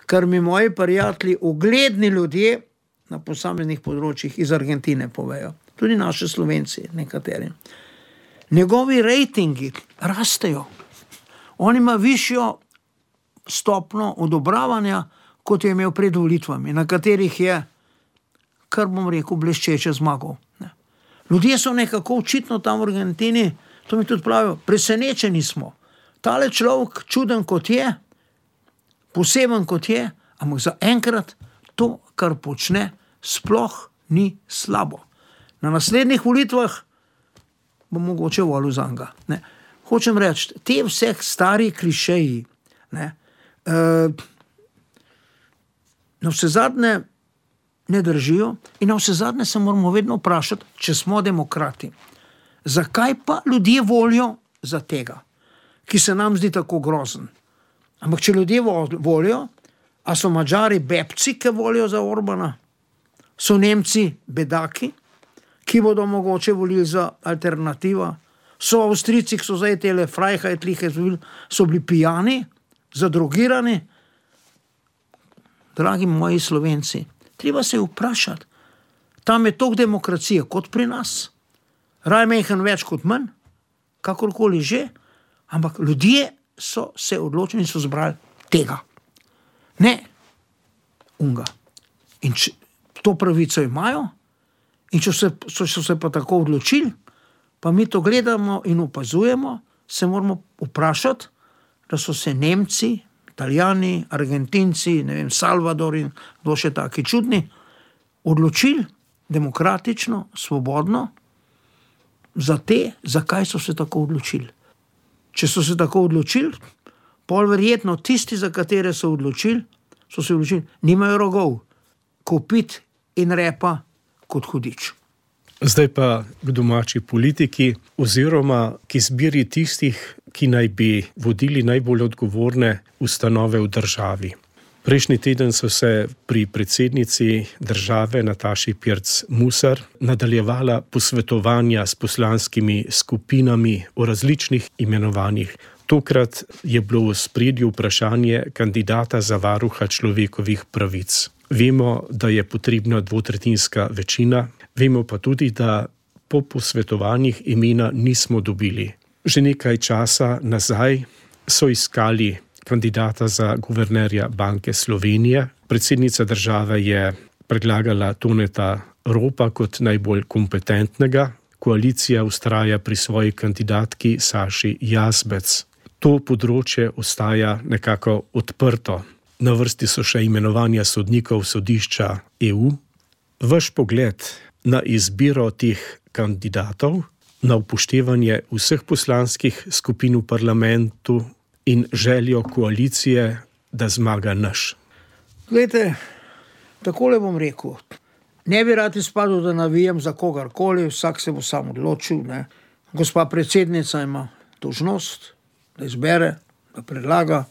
kar mi moji prijatelji, ugledni ljudje na posameznih področjih iz Argentine povejo. Tudi naši Slovenci, nekateri. Njegovi rejtingi rastejo. On ima višjo stopno odobravanja, kot je imel pred volitvami, na katerih je, kar bom rekel, bleščeče zmagal. Ljudje so nekako očitno tam v Argentini, to mi tudi pravijo, presenečeni smo. Tale človek, čuden kot je, poseben kot je, ampak za enkrat to, kar počne, sploh ni slabo. Na naslednjih volitvah bo mogoče volil za njega. Ne. Hočem reči, te vseh stari klišeji, ne, uh, na vse zadnje ne držijo in na vse zadnje se moramo vedno vprašati, če smo demokrati. Zakaj pa ljudje volijo za tega, ki se nam zdi tako grozen? Ampak če ljudje volijo, a so Mađari bebci, ki volijo za Orbana? So Nemci bedaki, ki bodo mogoče volili za alternativa? So Avstrijci, ki so zdaj tele Freiheitliche, so bili pijani, zadrogirani? Dragi moji Slovenci, treba se vprašati, tam je toliko demokracije kot pri nas, raj mehen več kot manj, kakorkoli že, ampak ljudje so se odločili in so zbrali tega. Ne unga. In če, to pravico imajo, in če so, so, so se pa tako odločili, pa mi to gledamo in opazujemo, se moramo vprašati, da so se Nemci, Italijani, Argentinci, ne vem, Salvador in kdo še taki čudni, odločili demokratično, svobodno, za te, zakaj so se tako odločili. Če so se tako odločili, pol verjetno tisti, za katere so odločili, so se odločili, nimajo rogov, kopit in repa kot hudič. Zdaj pa k domači politiki oziroma k izbiri tistih, ki naj bi vodili najbolj odgovorne ustanove v državi. Prejšnji teden so se pri predsednici države Nataši Pirc Musar nadaljevala posvetovanja s poslanskimi skupinami o različnih imenovanjih. Tokrat je bilo v ospredju vprašanje kandidata za varuha človekovih pravic. Vemo, da je potrebna dvotretjinska večina, vemo pa tudi, da po posvetovanjih imena nismo dobili. Že nekaj časa nazaj so iskali kandidata za guvernerja Banke Slovenije. Predsednica države je predlagala Toneta Ropa kot najbolj kompetentnega. Koalicija vztraja pri svoji kandidatki Saši Jazbec. To področje ostaja nekako odprto. Na vrsti so še imenovanja sodnikov sodišča E U. Vaš pogled na izbiro teh kandidatov, na upoštevanje vseh poslanskih skupin v parlamentu in željo koalicije, da zmaga naš. Glejte, takole bom rekel. Ne bi rad izpadel, da navijam za kogarkoli, vsak se bo sam odločil. Ne. Gospa predsednica ima dolžnost, da izbere, da predlaga,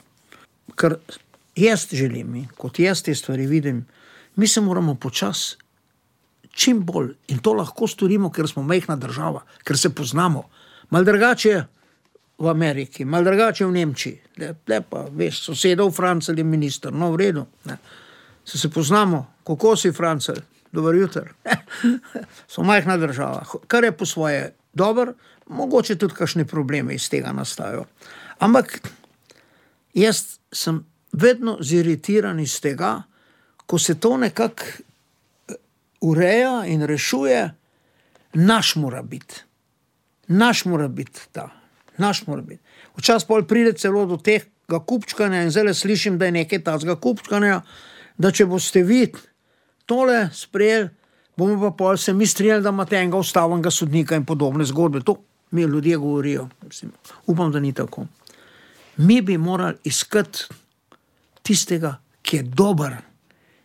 kar jaz želim, kot jaz te stvari vidim, mi se moramo počasi čim bolj, in to lahko storimo, ker smo majhna država, ker se poznamo. Mal drugače v Ameriki, mal drugače v Nemčiji, le, le pa, veš, sosedov Francel je minister, no v redu, ne. Se se poznamo, kako si Francel, dober jutr, so majhna država, kar je po svoje dober, mogoče tudi kakšne probleme iz tega nastajajo. Ampak jaz sem vedno ziritiran iz tega, ko se to nekako ureja in rešuje, naš mora biti. Naš mora biti ta. Naš mora biti. Včasih pol pride celo do tega kupčkanja in zdaj slišim, da je nekaj tazga kupčkanja, da če boste vi tole sprejeli, bomo pa pol se mi strinjali, da imate enega ustavnega sodnika in podobne zgodbe. To mi ljudje govorijo. Mislim, upam, da ni tako. Mi bi morali iskati tistega, ki je dober.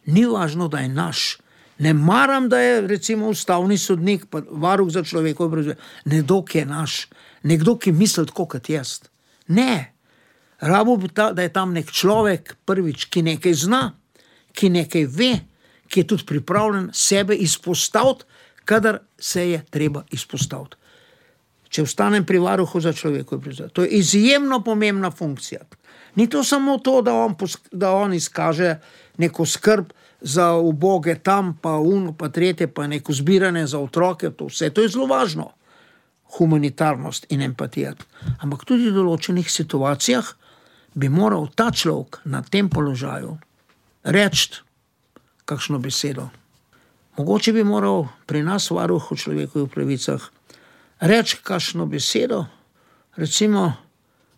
Ni važno, da je naš. Ne maram, da je recimo ustavni sodnik, pa varuh za človekove pravice, nekdo, ki je naš, nekdo, ki misli tako kot jaz. Ne, rabo bi ta, da je tam nek človek, prvič, ki nekaj zna, ki nekaj ve, ki je tudi pripravljen sebe izpostaviti, kadar se je treba izpostaviti. če ostanem pri varuhu za človekove pravice. To je izjemno pomembna funkcija. Ni to samo to, da on, da on izkaže neko skrb za uboge tam, pa uno, pa tretje, pa neko zbiranje za otroke, to vse, to je zelo važno. Humanitarnost in empatija. Ampak tudi v določenih situacijah bi moral ta človek na tem položaju reči kakšno besedo. Mogoče bi moral pri nas varuhu človekovih pravicah reči kakšno besedo, recimo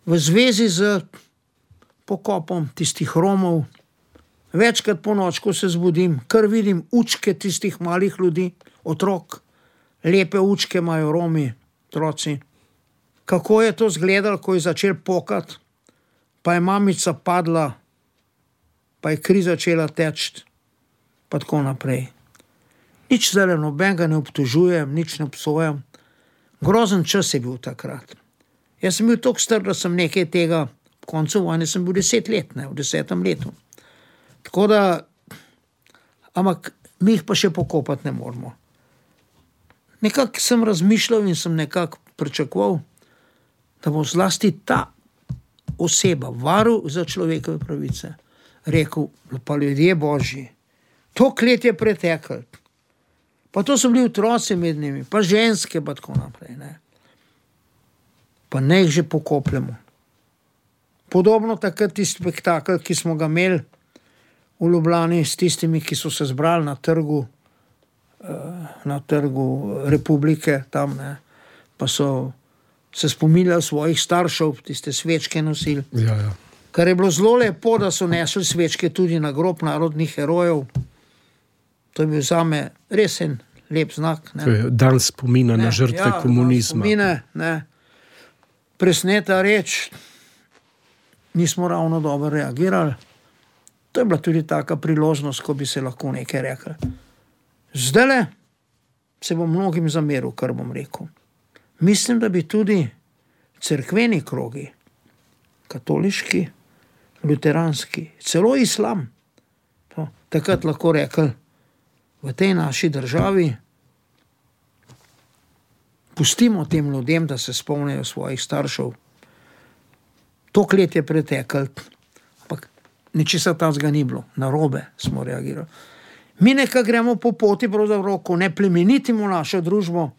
v zvezi z pokopom tistih Romov. Večkrat po noč, ko se zbudim, kar vidim učke tistih malih ljudi, otrok, lepe učke imajo Romi, otroci. Kako je to izgledalo, ko je začel pokati, pa je mamica padla, pa je kri začela teči, pa tako naprej. Nič zdaj nobenega ne obtožujem, nič ne obsojam. Grozen čas je bil takrat. Jaz sem bil toliko star, da sem nekaj tega, v koncu vojne sem bil deset let, ne, v desetem letu. Tako da, ampak mi jih pa še pokopati ne moramo. Nekako sem razmišljal in sem nekako pričakoval, da bo zlasti ta oseba, varuh za človekove pravice, rekel, pa ljudje božji, toliko let je preteklo, pa to so bili otroci med njimi, pa ženske, pa tako naprej, ne. Pa ne jih že pokopljamo. Podobno takrat tisti spektakel, ki smo ga imeli v Ljubljani s tistimi, ki so se zbrali na trgu, na trgu Republike, tam, ne, pa so se spominjali svojih staršev, tiste svečke nosili. Ja, ja. Kar je bilo zelo lepo, da so nesli svečke tudi na grob narodnih herojev. To je bil zame res en lep znak. Ne. To je dan spomina ne, na žrtve ja, komunizma. Spomine, ne. Presneta reč, nismo ravno dobro reagirali. To je bila tudi taka priložnost, ko bi se lahko nekaj rekli. Zdajle se bom mnogim zameril, kar bom rekel. Mislim, da bi tudi cerkveni krogi, katoliški, luteranski, celo islam, to, takrat lahko rekli, v tej naši državi pustimo tem ljudem, da se spomnijo svojih staršev. Toliko let je preteklo, ampak ničesar tazga ni bilo, narobe smo reagirali. Mi nekaj gremo po poti, pravzaprav, ko ne plemenitimo našo družbo,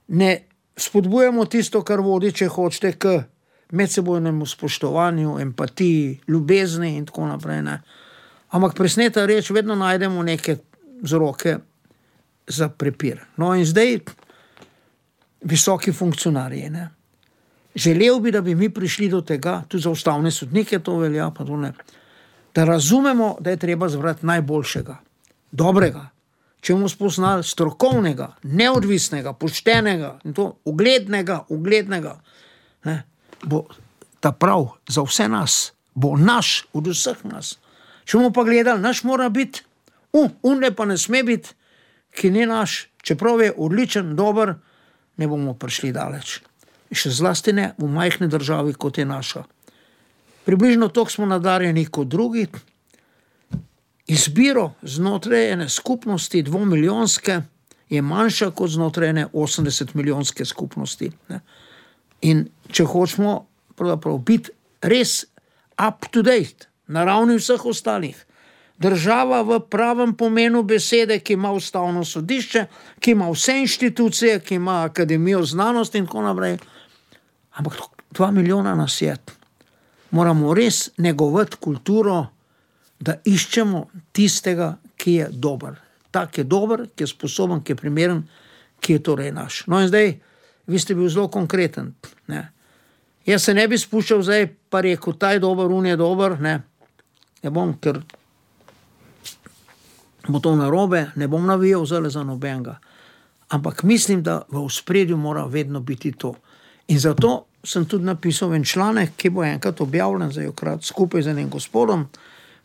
ne spodbujamo tisto, kar vodi, če hočete, k medsebojnemu spoštovanju, empatiji, ljubezni in tako naprej. Ne. Ampak presneta reč, vedno najdemo neke vzroke za prepir. No in zdaj visoki funkcionarji. Ne. Želel bi, da bi mi prišli do tega, tudi za ustavne sodnike to velja, pa to ne, da razumemo, da je treba zbrati najboljšega, dobrega, če bomo spoznali strokovnega, neodvisnega, poštenega, in to uglednega, uglednega, ne, bo ta prav za vse nas, bo naš od vseh nas. Če bomo pa gledali, naš mora biti, uh, unle pa ne sme biti, ki ni naš, čeprav je odličen, dober, ne bomo prišli daleč. Še zlasti ne v majhni državi, kot je naša. Približno toliko smo nadarjeni kot drugi. Izbiro znotraj ene skupnosti dvomilijonske je manjša kot znotraj ene osemdeset milijonske skupnosti. Ne. In če hočemo pravzaprav biti res up to date, na ravni vseh ostalih, država v pravem pomenu besede, ki ima ustavno sodišče, ki ima vse inštitucije, ki ima akademijo znanosti in tako naprej, ampak dva milijona nas je. Moramo res negovati kulturo, da iščemo tistega, ki je dober. Tak je dober, ki je sposoben, ki je primeren, ki je torej naš. No in zdaj, vi ste bil zelo konkreten. Ne. Jaz se ne bi spuščal zdaj, pa rekel, ta je dober, un je dober, ne. Ne bom, ker bo to narobe, ne bom navijal zale za nobenega. Ampak mislim, da v ospredju mora vedno biti to. In zato sem tudi napisal en članek, ki bo enkrat objavljen, zdaj okrat skupaj z enim gospodom,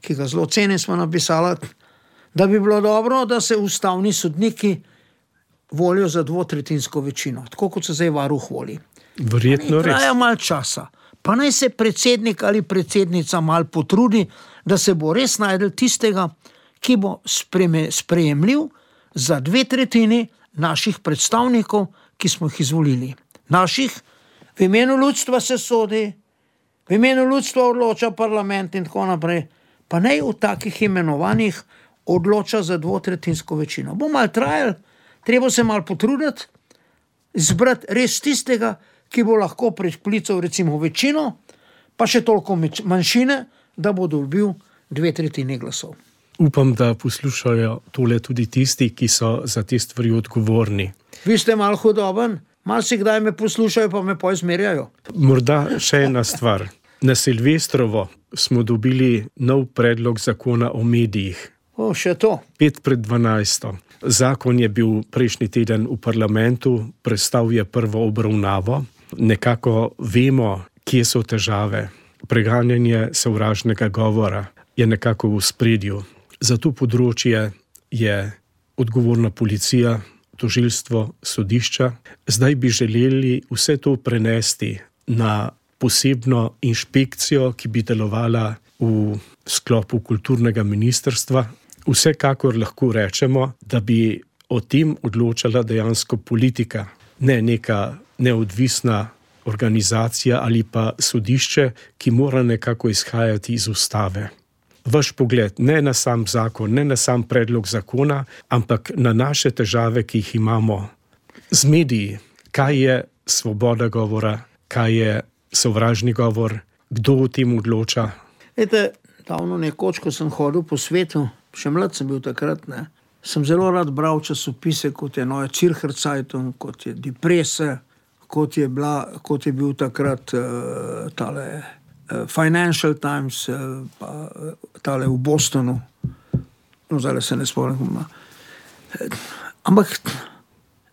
ki ga zelo cenim, smo napisali, da bi bilo dobro, da se ustavni sodniki volijo za dvotretjinsko večino, tako kot se zdaj varuh voli. Verjetno res. Traja malo časa. Pa naj se predsednik ali predsednica malo potrudi, da se bo res najdel tistega, ki bo sprejemljiv za dve tretjini naših predstavnikov, ki smo jih izvolili. naših, v imenu ljudstva se sodi, v imenu ljudstva odloča parlament in tako naprej, pa ne v takih imenovanjih odloča za dvotretjinsko večino. Bo malo trajal, treba se malo potruditi, izbrati res tistega, ki bo lahko priklical recimo večino, pa še toliko manjšine, da bo dobil dve tretjini glasov. Upam, da poslušajo tole tudi tisti, ki so za te stvari odgovorni. Vi ste malo hudoben, malo si kdaj me poslušajo, pa me pa izmerjajo. Morda še ena stvar. Na Silvestrovo smo dobili nov predlog zakona o medijih. O, še to. Pet pred dvanajsto. Zakon je bil prejšnji teden v parlamentu, prestal je prvo obravnavo. Nekako vemo, kje so težave. Preganjanje sovražnega govora je nekako v spredju. Za to področje je odgovorna policija, tožilstvo, sodišča. Zdaj bi želeli vse to prenesti na posebno inšpekcijo, ki bi delovala v sklopu kulturnega ministrstva. Vsekakor lahko rečemo, da bi o tem odločala dejansko politika, ne neka neodvisna organizacija ali pa sodišče, ki mora nekako izhajati iz ustave. Vaš pogled ne na sam zakon, ne na sam predlog zakona, ampak na naše težave, ki jih imamo z mediji. Kaj je svoboda govora, kaj je sovražni govor, kdo o tem odloča? Ete, davno nekoč, ko sem hodil po svetu, še mlad sem bil takrat, ne, sem zelo rad bral časopise, kot je Neue Zürcher Zeitung, kot je Die Presse, kot je, bila, kot je bil takrat uh, tale uh, Financial Times, uh, pa uh, tale v Bostonu. No, zdaj se ne spomnim. Ampak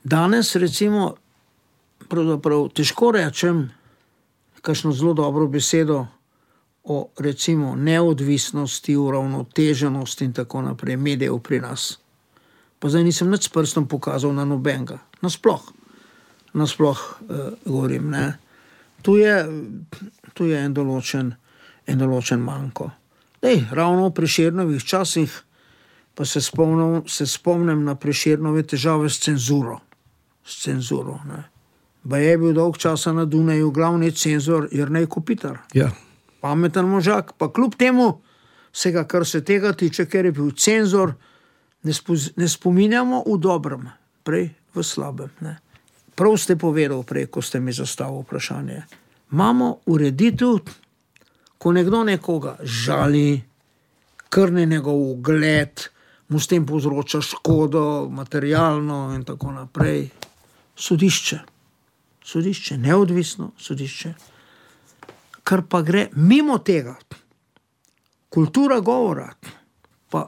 danes recimo pravzaprav težko rečem kakšno zelo dobro besedo o recimo neodvisnosti, uravnoteženosti in tako naprej medijev pri nas. Pa zdaj nisem nič s prstom pokazal na nobenega. Nasploh. Nasploh uh, govorim, ne. Tu je, tu je en določen, en določen manko. Dej, ravno v Prešernovih časih pa se spomnim, se spomnim na Prešernove težave s cenzuro. S cenzuro, ne. Ba je bil dolg časa na Dunaju glavni cenzor Jernej Kopitar. Ja. Pameten možak, pa kljub temu se ga, kar se tega tiče, ker je bil cenzor, ne, spo, ne spominjamo v dobrem, prej v slabem. Ne. Prav ste povedal prej, ko ste mi zastavili vprašanje. Imamo ureditev, ko nekdo nekoga žali, krni njegov ugled, mu s tem povzroča škodo, materialno in tako naprej. Sodišče. Sodišče, neodvisno sodišče. Kar pa gre mimo tega. Kultura govora, pa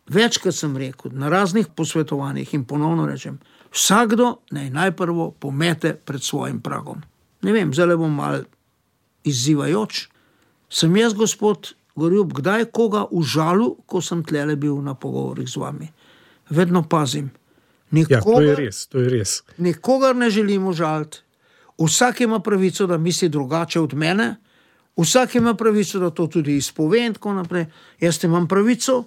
večkrat sem rekel, na raznih posvetovanjih in ponovno rečem, vsakdo naj najprvo pomete pred svojim pragom. Ne vem, zdaj bom mal izzivajoč. Sem jaz, gospod Gorjup, kdaj koga užalil, ko sem tlele bil na pogovorih z vami. Vedno pazim. Nikogar, ja, to je res, to je res. Nikogar ne želim užaliti. Vsak ima pravico, da misli drugače od mene, vsak ima pravico, da to tudi izpove in tako naprej. Jaz imam pravico,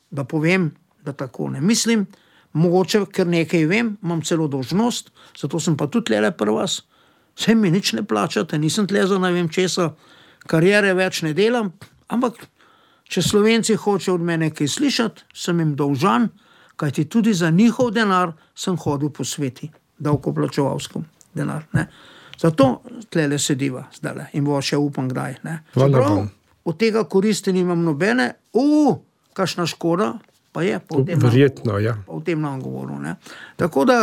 da povem, da tako ne mislim, mogoče, ker nekaj vem, imam celo dolžnost, zato sem pa tudi tlele pri vas. Vse mi nič ne plačate, nisem tle za ne vem česa, kariere več ne delam, ampak če Slovenci hoče od mene kaj slišati, sem jim dolžan, kajti tudi za njihov denar sem hodil po sveti, davkoplačevalskem denar, ne. Zato tlele sediva zdajle in bo še upam kdaj, ne. Čeprav od tega koristi nimam nobene, u, kakšna škoda, pa je, pa v tem verjetno, nam, ja. Pa v tem nam govoru, ne. Tako da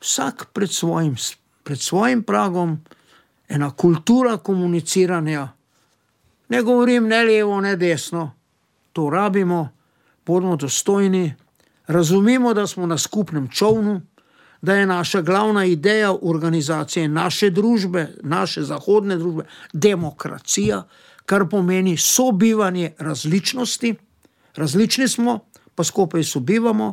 vsak pred svojim, pred svojim pragom, ena kultura komuniciranja, ne govorim ne levo, ne desno, to rabimo, bodimo dostojni, razumimo, da smo na skupnem čovnu, da je naša glavna ideja organizacije naše družbe, naše zahodne družbe, demokracija, kar pomeni sobivanje različnosti. Različni smo, pa skupaj sobivamo.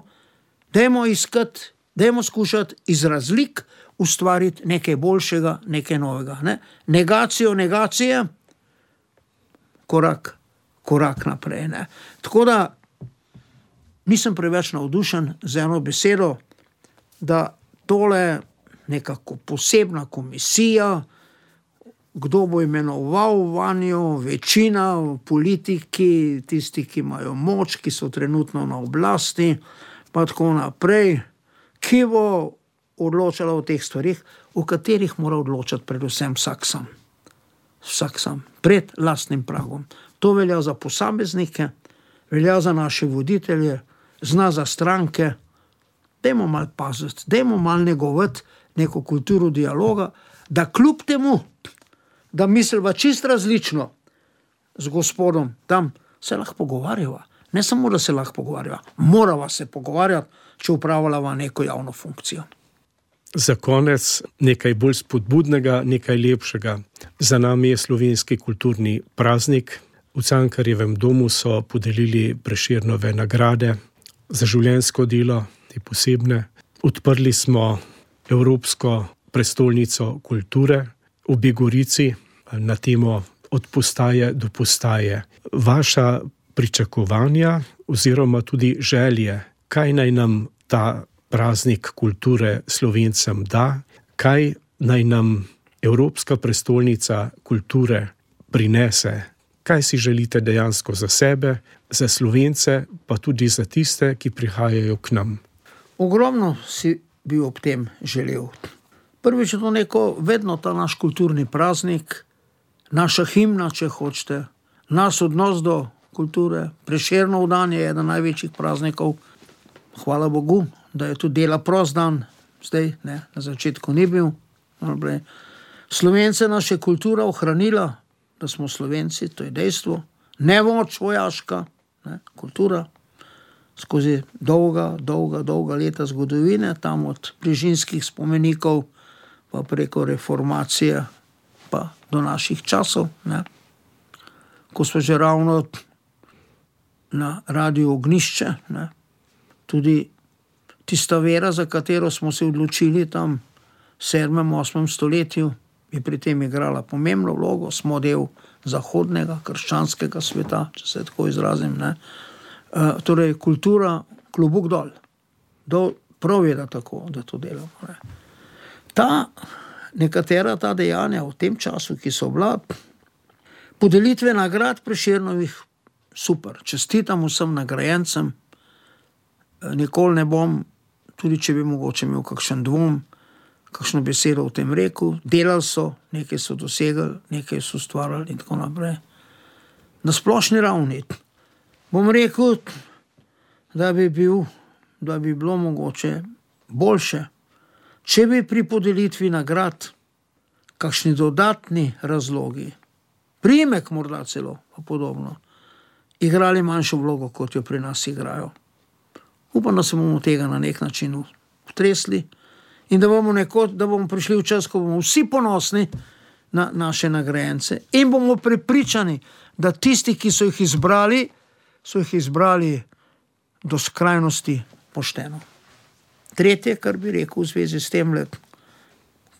Dajmo iskati, dajmo skušati iz razlik ustvariti nekaj boljšega, nekaj novega. Ne? Negacijo negacije, korak, korak naprej. Ne? Tako da nisem preveč navdušen z eno besedo, da tole nekako posebna komisija, kdo bo imenoval vanjo, večina, politiki, tisti, ki imajo moč, ki so trenutno na oblasti, pa tako naprej, ki bo odločala o teh stvarih, o katerih mora odločati predvsem vsak sam. Vsak sam, pred lastnim pragom. To velja za posameznike, velja za naše voditelje, zna za stranke. Dajmo malo paziti, dajmo malo negovati neko kulturo dialoga, da kljub temu, da misliva čisto različno z gospodom, tam se lahko pogovarjava. Ne samo, da se lahko pogovarjava, morava se pogovarjati, če upravljava neko javno funkcijo. Za konec nekaj bolj spodbudnega, nekaj lepšega. Za nami je slovenski kulturni praznik. V Cankarjevem domu so podelili Prešernove nagrade za življenjsko delo, te posebne. Odprli smo Evropsko prestolnico kulture v Begorici na temo Od postaje do postaje. Vaša pričakovanja oziroma tudi želje, kaj naj nam ta praznik kulture Slovencem da, kaj naj nam Evropska prestolnica kulture prinese, kaj si želite dejansko za sebe, za Slovence, pa tudi za tiste, ki prihajajo k nam. Ogromno si bi ob tem želel. Prvič je to neko, vedno ta naš kulturni praznik, naša himna, če hočete, naš odnos do kulture. Prešernov dan je eden največjih praznikov. Hvala Bogu, da je tudi dela prost dan, zdaj, ne, na začetku ni bil. Slovence naša kultura ohranila, da smo Slovenci, to je dejstvo. Nemoč vojaška, ne, kultura, skozi dolga, dolga, dolga leta zgodovine, tam od bližinskih spomenikov, pa preko reformacije, pa do naših časov, ne. Ko smo že ravno na Radiu Ognišče, ne, tudi tista vera, za katero smo se odločili tam v sedmem, osmem stoletju, je pri tem igrala pomembno vlogo, smo del zahodnega, krščanskega sveta, če se tako izrazim, ne. E, torej, kultura, klobuk dol. Dol prav je, da tako, da to delamo, ne. Ta, nekatera ta dejanja v tem času, ki so bila, podelitve nagrad Prešernovih, super, čestitam vsem nagrajencem, nikoli ne bom, tudi če bi mogoče imel kakšen dvom, kakšno besedo v tem rekel, delali so, nekaj so dosegli, nekaj so ustvarjali in tako naprej. Na splošni ravni bom rekel, da bi bil, da bi bilo mogoče boljše, če bi pri podelitvi nagrad kakšni dodatni razlogi, priimek morda celo, pa podobno, igrali manjšo vlogo, kot jo pri nas igrajo. Upam, da se bomo tega na nek način utresli in da bomo, neko, da bomo prišli v čas, ko bomo vsi ponosni na naše nagrajence in bomo prepričani, da tisti, ki so jih izbrali, so jih izbrali do skrajnosti pošteno. Tretje, kar bi rekel v zvezi s tem,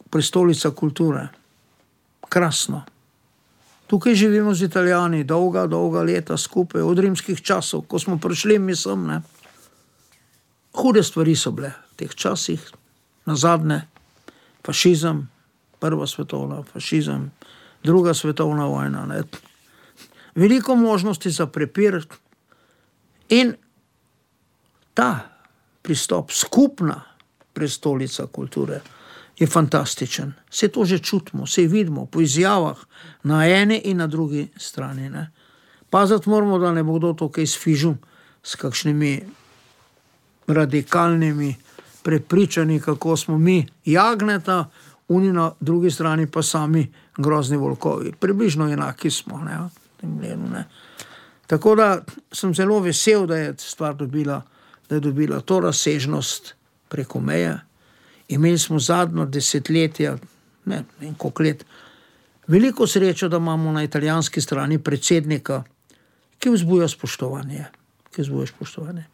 prestolnica kulture. Krasno. Tukaj živimo z Italijani dolga, dolga leta skupaj, od rimskih časov, ko smo prišli, mislim, ne. Hude stvari so bile v teh časih, nazadnje fašizem, prva svetovna, fašizem, druga svetovna vojna, ne. Veliko možnosti za prepir in ta pristop, skupna prestolnica kulture, je fantastičen. Se to že čutimo, se vidimo po izjavah na eni in na drugi strani, ne. Paziti moramo, da ne bo kdo to kaj sfižil s kakšnimi radikalnimi prepričani, kako smo mi jagneta, oni na drugi strani pa sami grozni volkovi. Približno enaki smo, ne, v tem gledu, ne. Tako da sem zelo vesel, da je stvar dobila, da je dobila to razsežnost preko meje. Imeli smo zadnjo desetletja, ne vem koliko let, veliko srečo, da imamo na italijanski strani predsednika, ki vzbuja spoštovanje, ki vzbuja spoštovanje.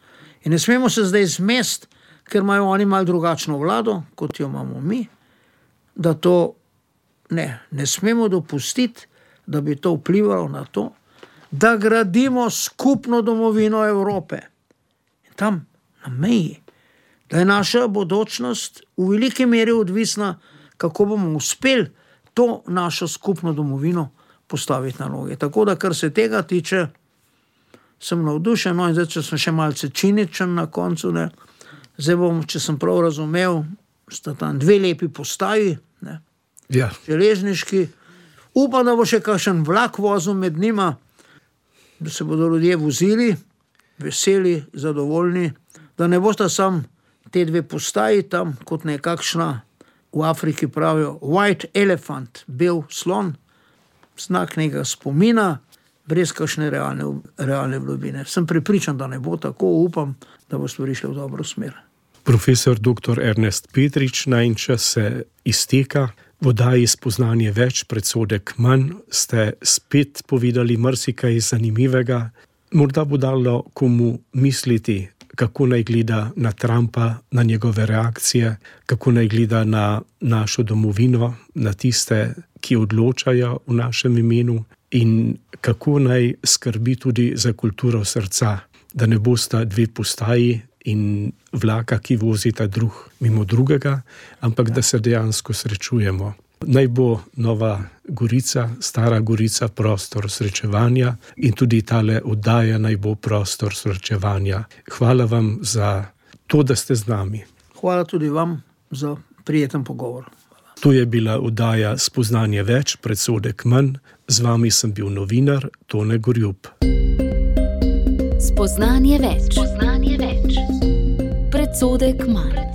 In ne smemo se zdaj zmest, ker imajo oni malo drugačno vlado, kot jo imamo mi, da to ne, ne smemo dopustiti, da bi to vplivalo na to, da gradimo skupno domovino Evrope. In tam, na meji, Da je naša bodočnost v veliki meri odvisna, kako bomo uspeli to našo skupno domovino postaviti na noge. Tako da, kar se tega tiče, sem navdušen, no in zdaj, če sem še malce ciničen na koncu, ne, zdaj bom, če sem prav razumel, sta tam dve lepi postaji, ne, Ja. železniški, upam, da bo še kakšen vlak vozil med njima, da se bodo ljudje vozili, veseli, zadovoljni, da ne bosta sam te dve postaji tam, kot nekakšna, v Afriki pravijo, white elephant, bel slon, znak nekega spomina, brez kakšne realne, realne vlobine. Sem prepričan, da ne bo tako, upam, da bo stvari šle v dobro smer. Profesor doktor Ernest Petrič, najin čas se izteka. V oddaji Spoznanje več, predsodek manj ste spet povedali marsikaj zanimivega. Morda bo dalo komu misliti, kako naj gleda na Trumpa, na njegove reakcije, kako naj gleda na našo domovino, na tiste, ki odločajo v našem imenu in kako naj skrbi tudi za kulturo srca, da ne bosta dve postaji in vlaka, ki vozita drug mimo drugega, ampak da se dejansko srečujemo. Naj bo Nova Gorica, Stara Gorica prostor srečevanja in tudi tale oddaja naj bo prostor srečevanja. Hvala vam za to, da ste z nami. Hvala tudi vam za prijeten pogovor. To je bila oddaja Spoznanje več, predsodek manj. Z vami sem bil novinar Tone Gorjup. Spoznanje več. Spoznanje več. Predsodek manj.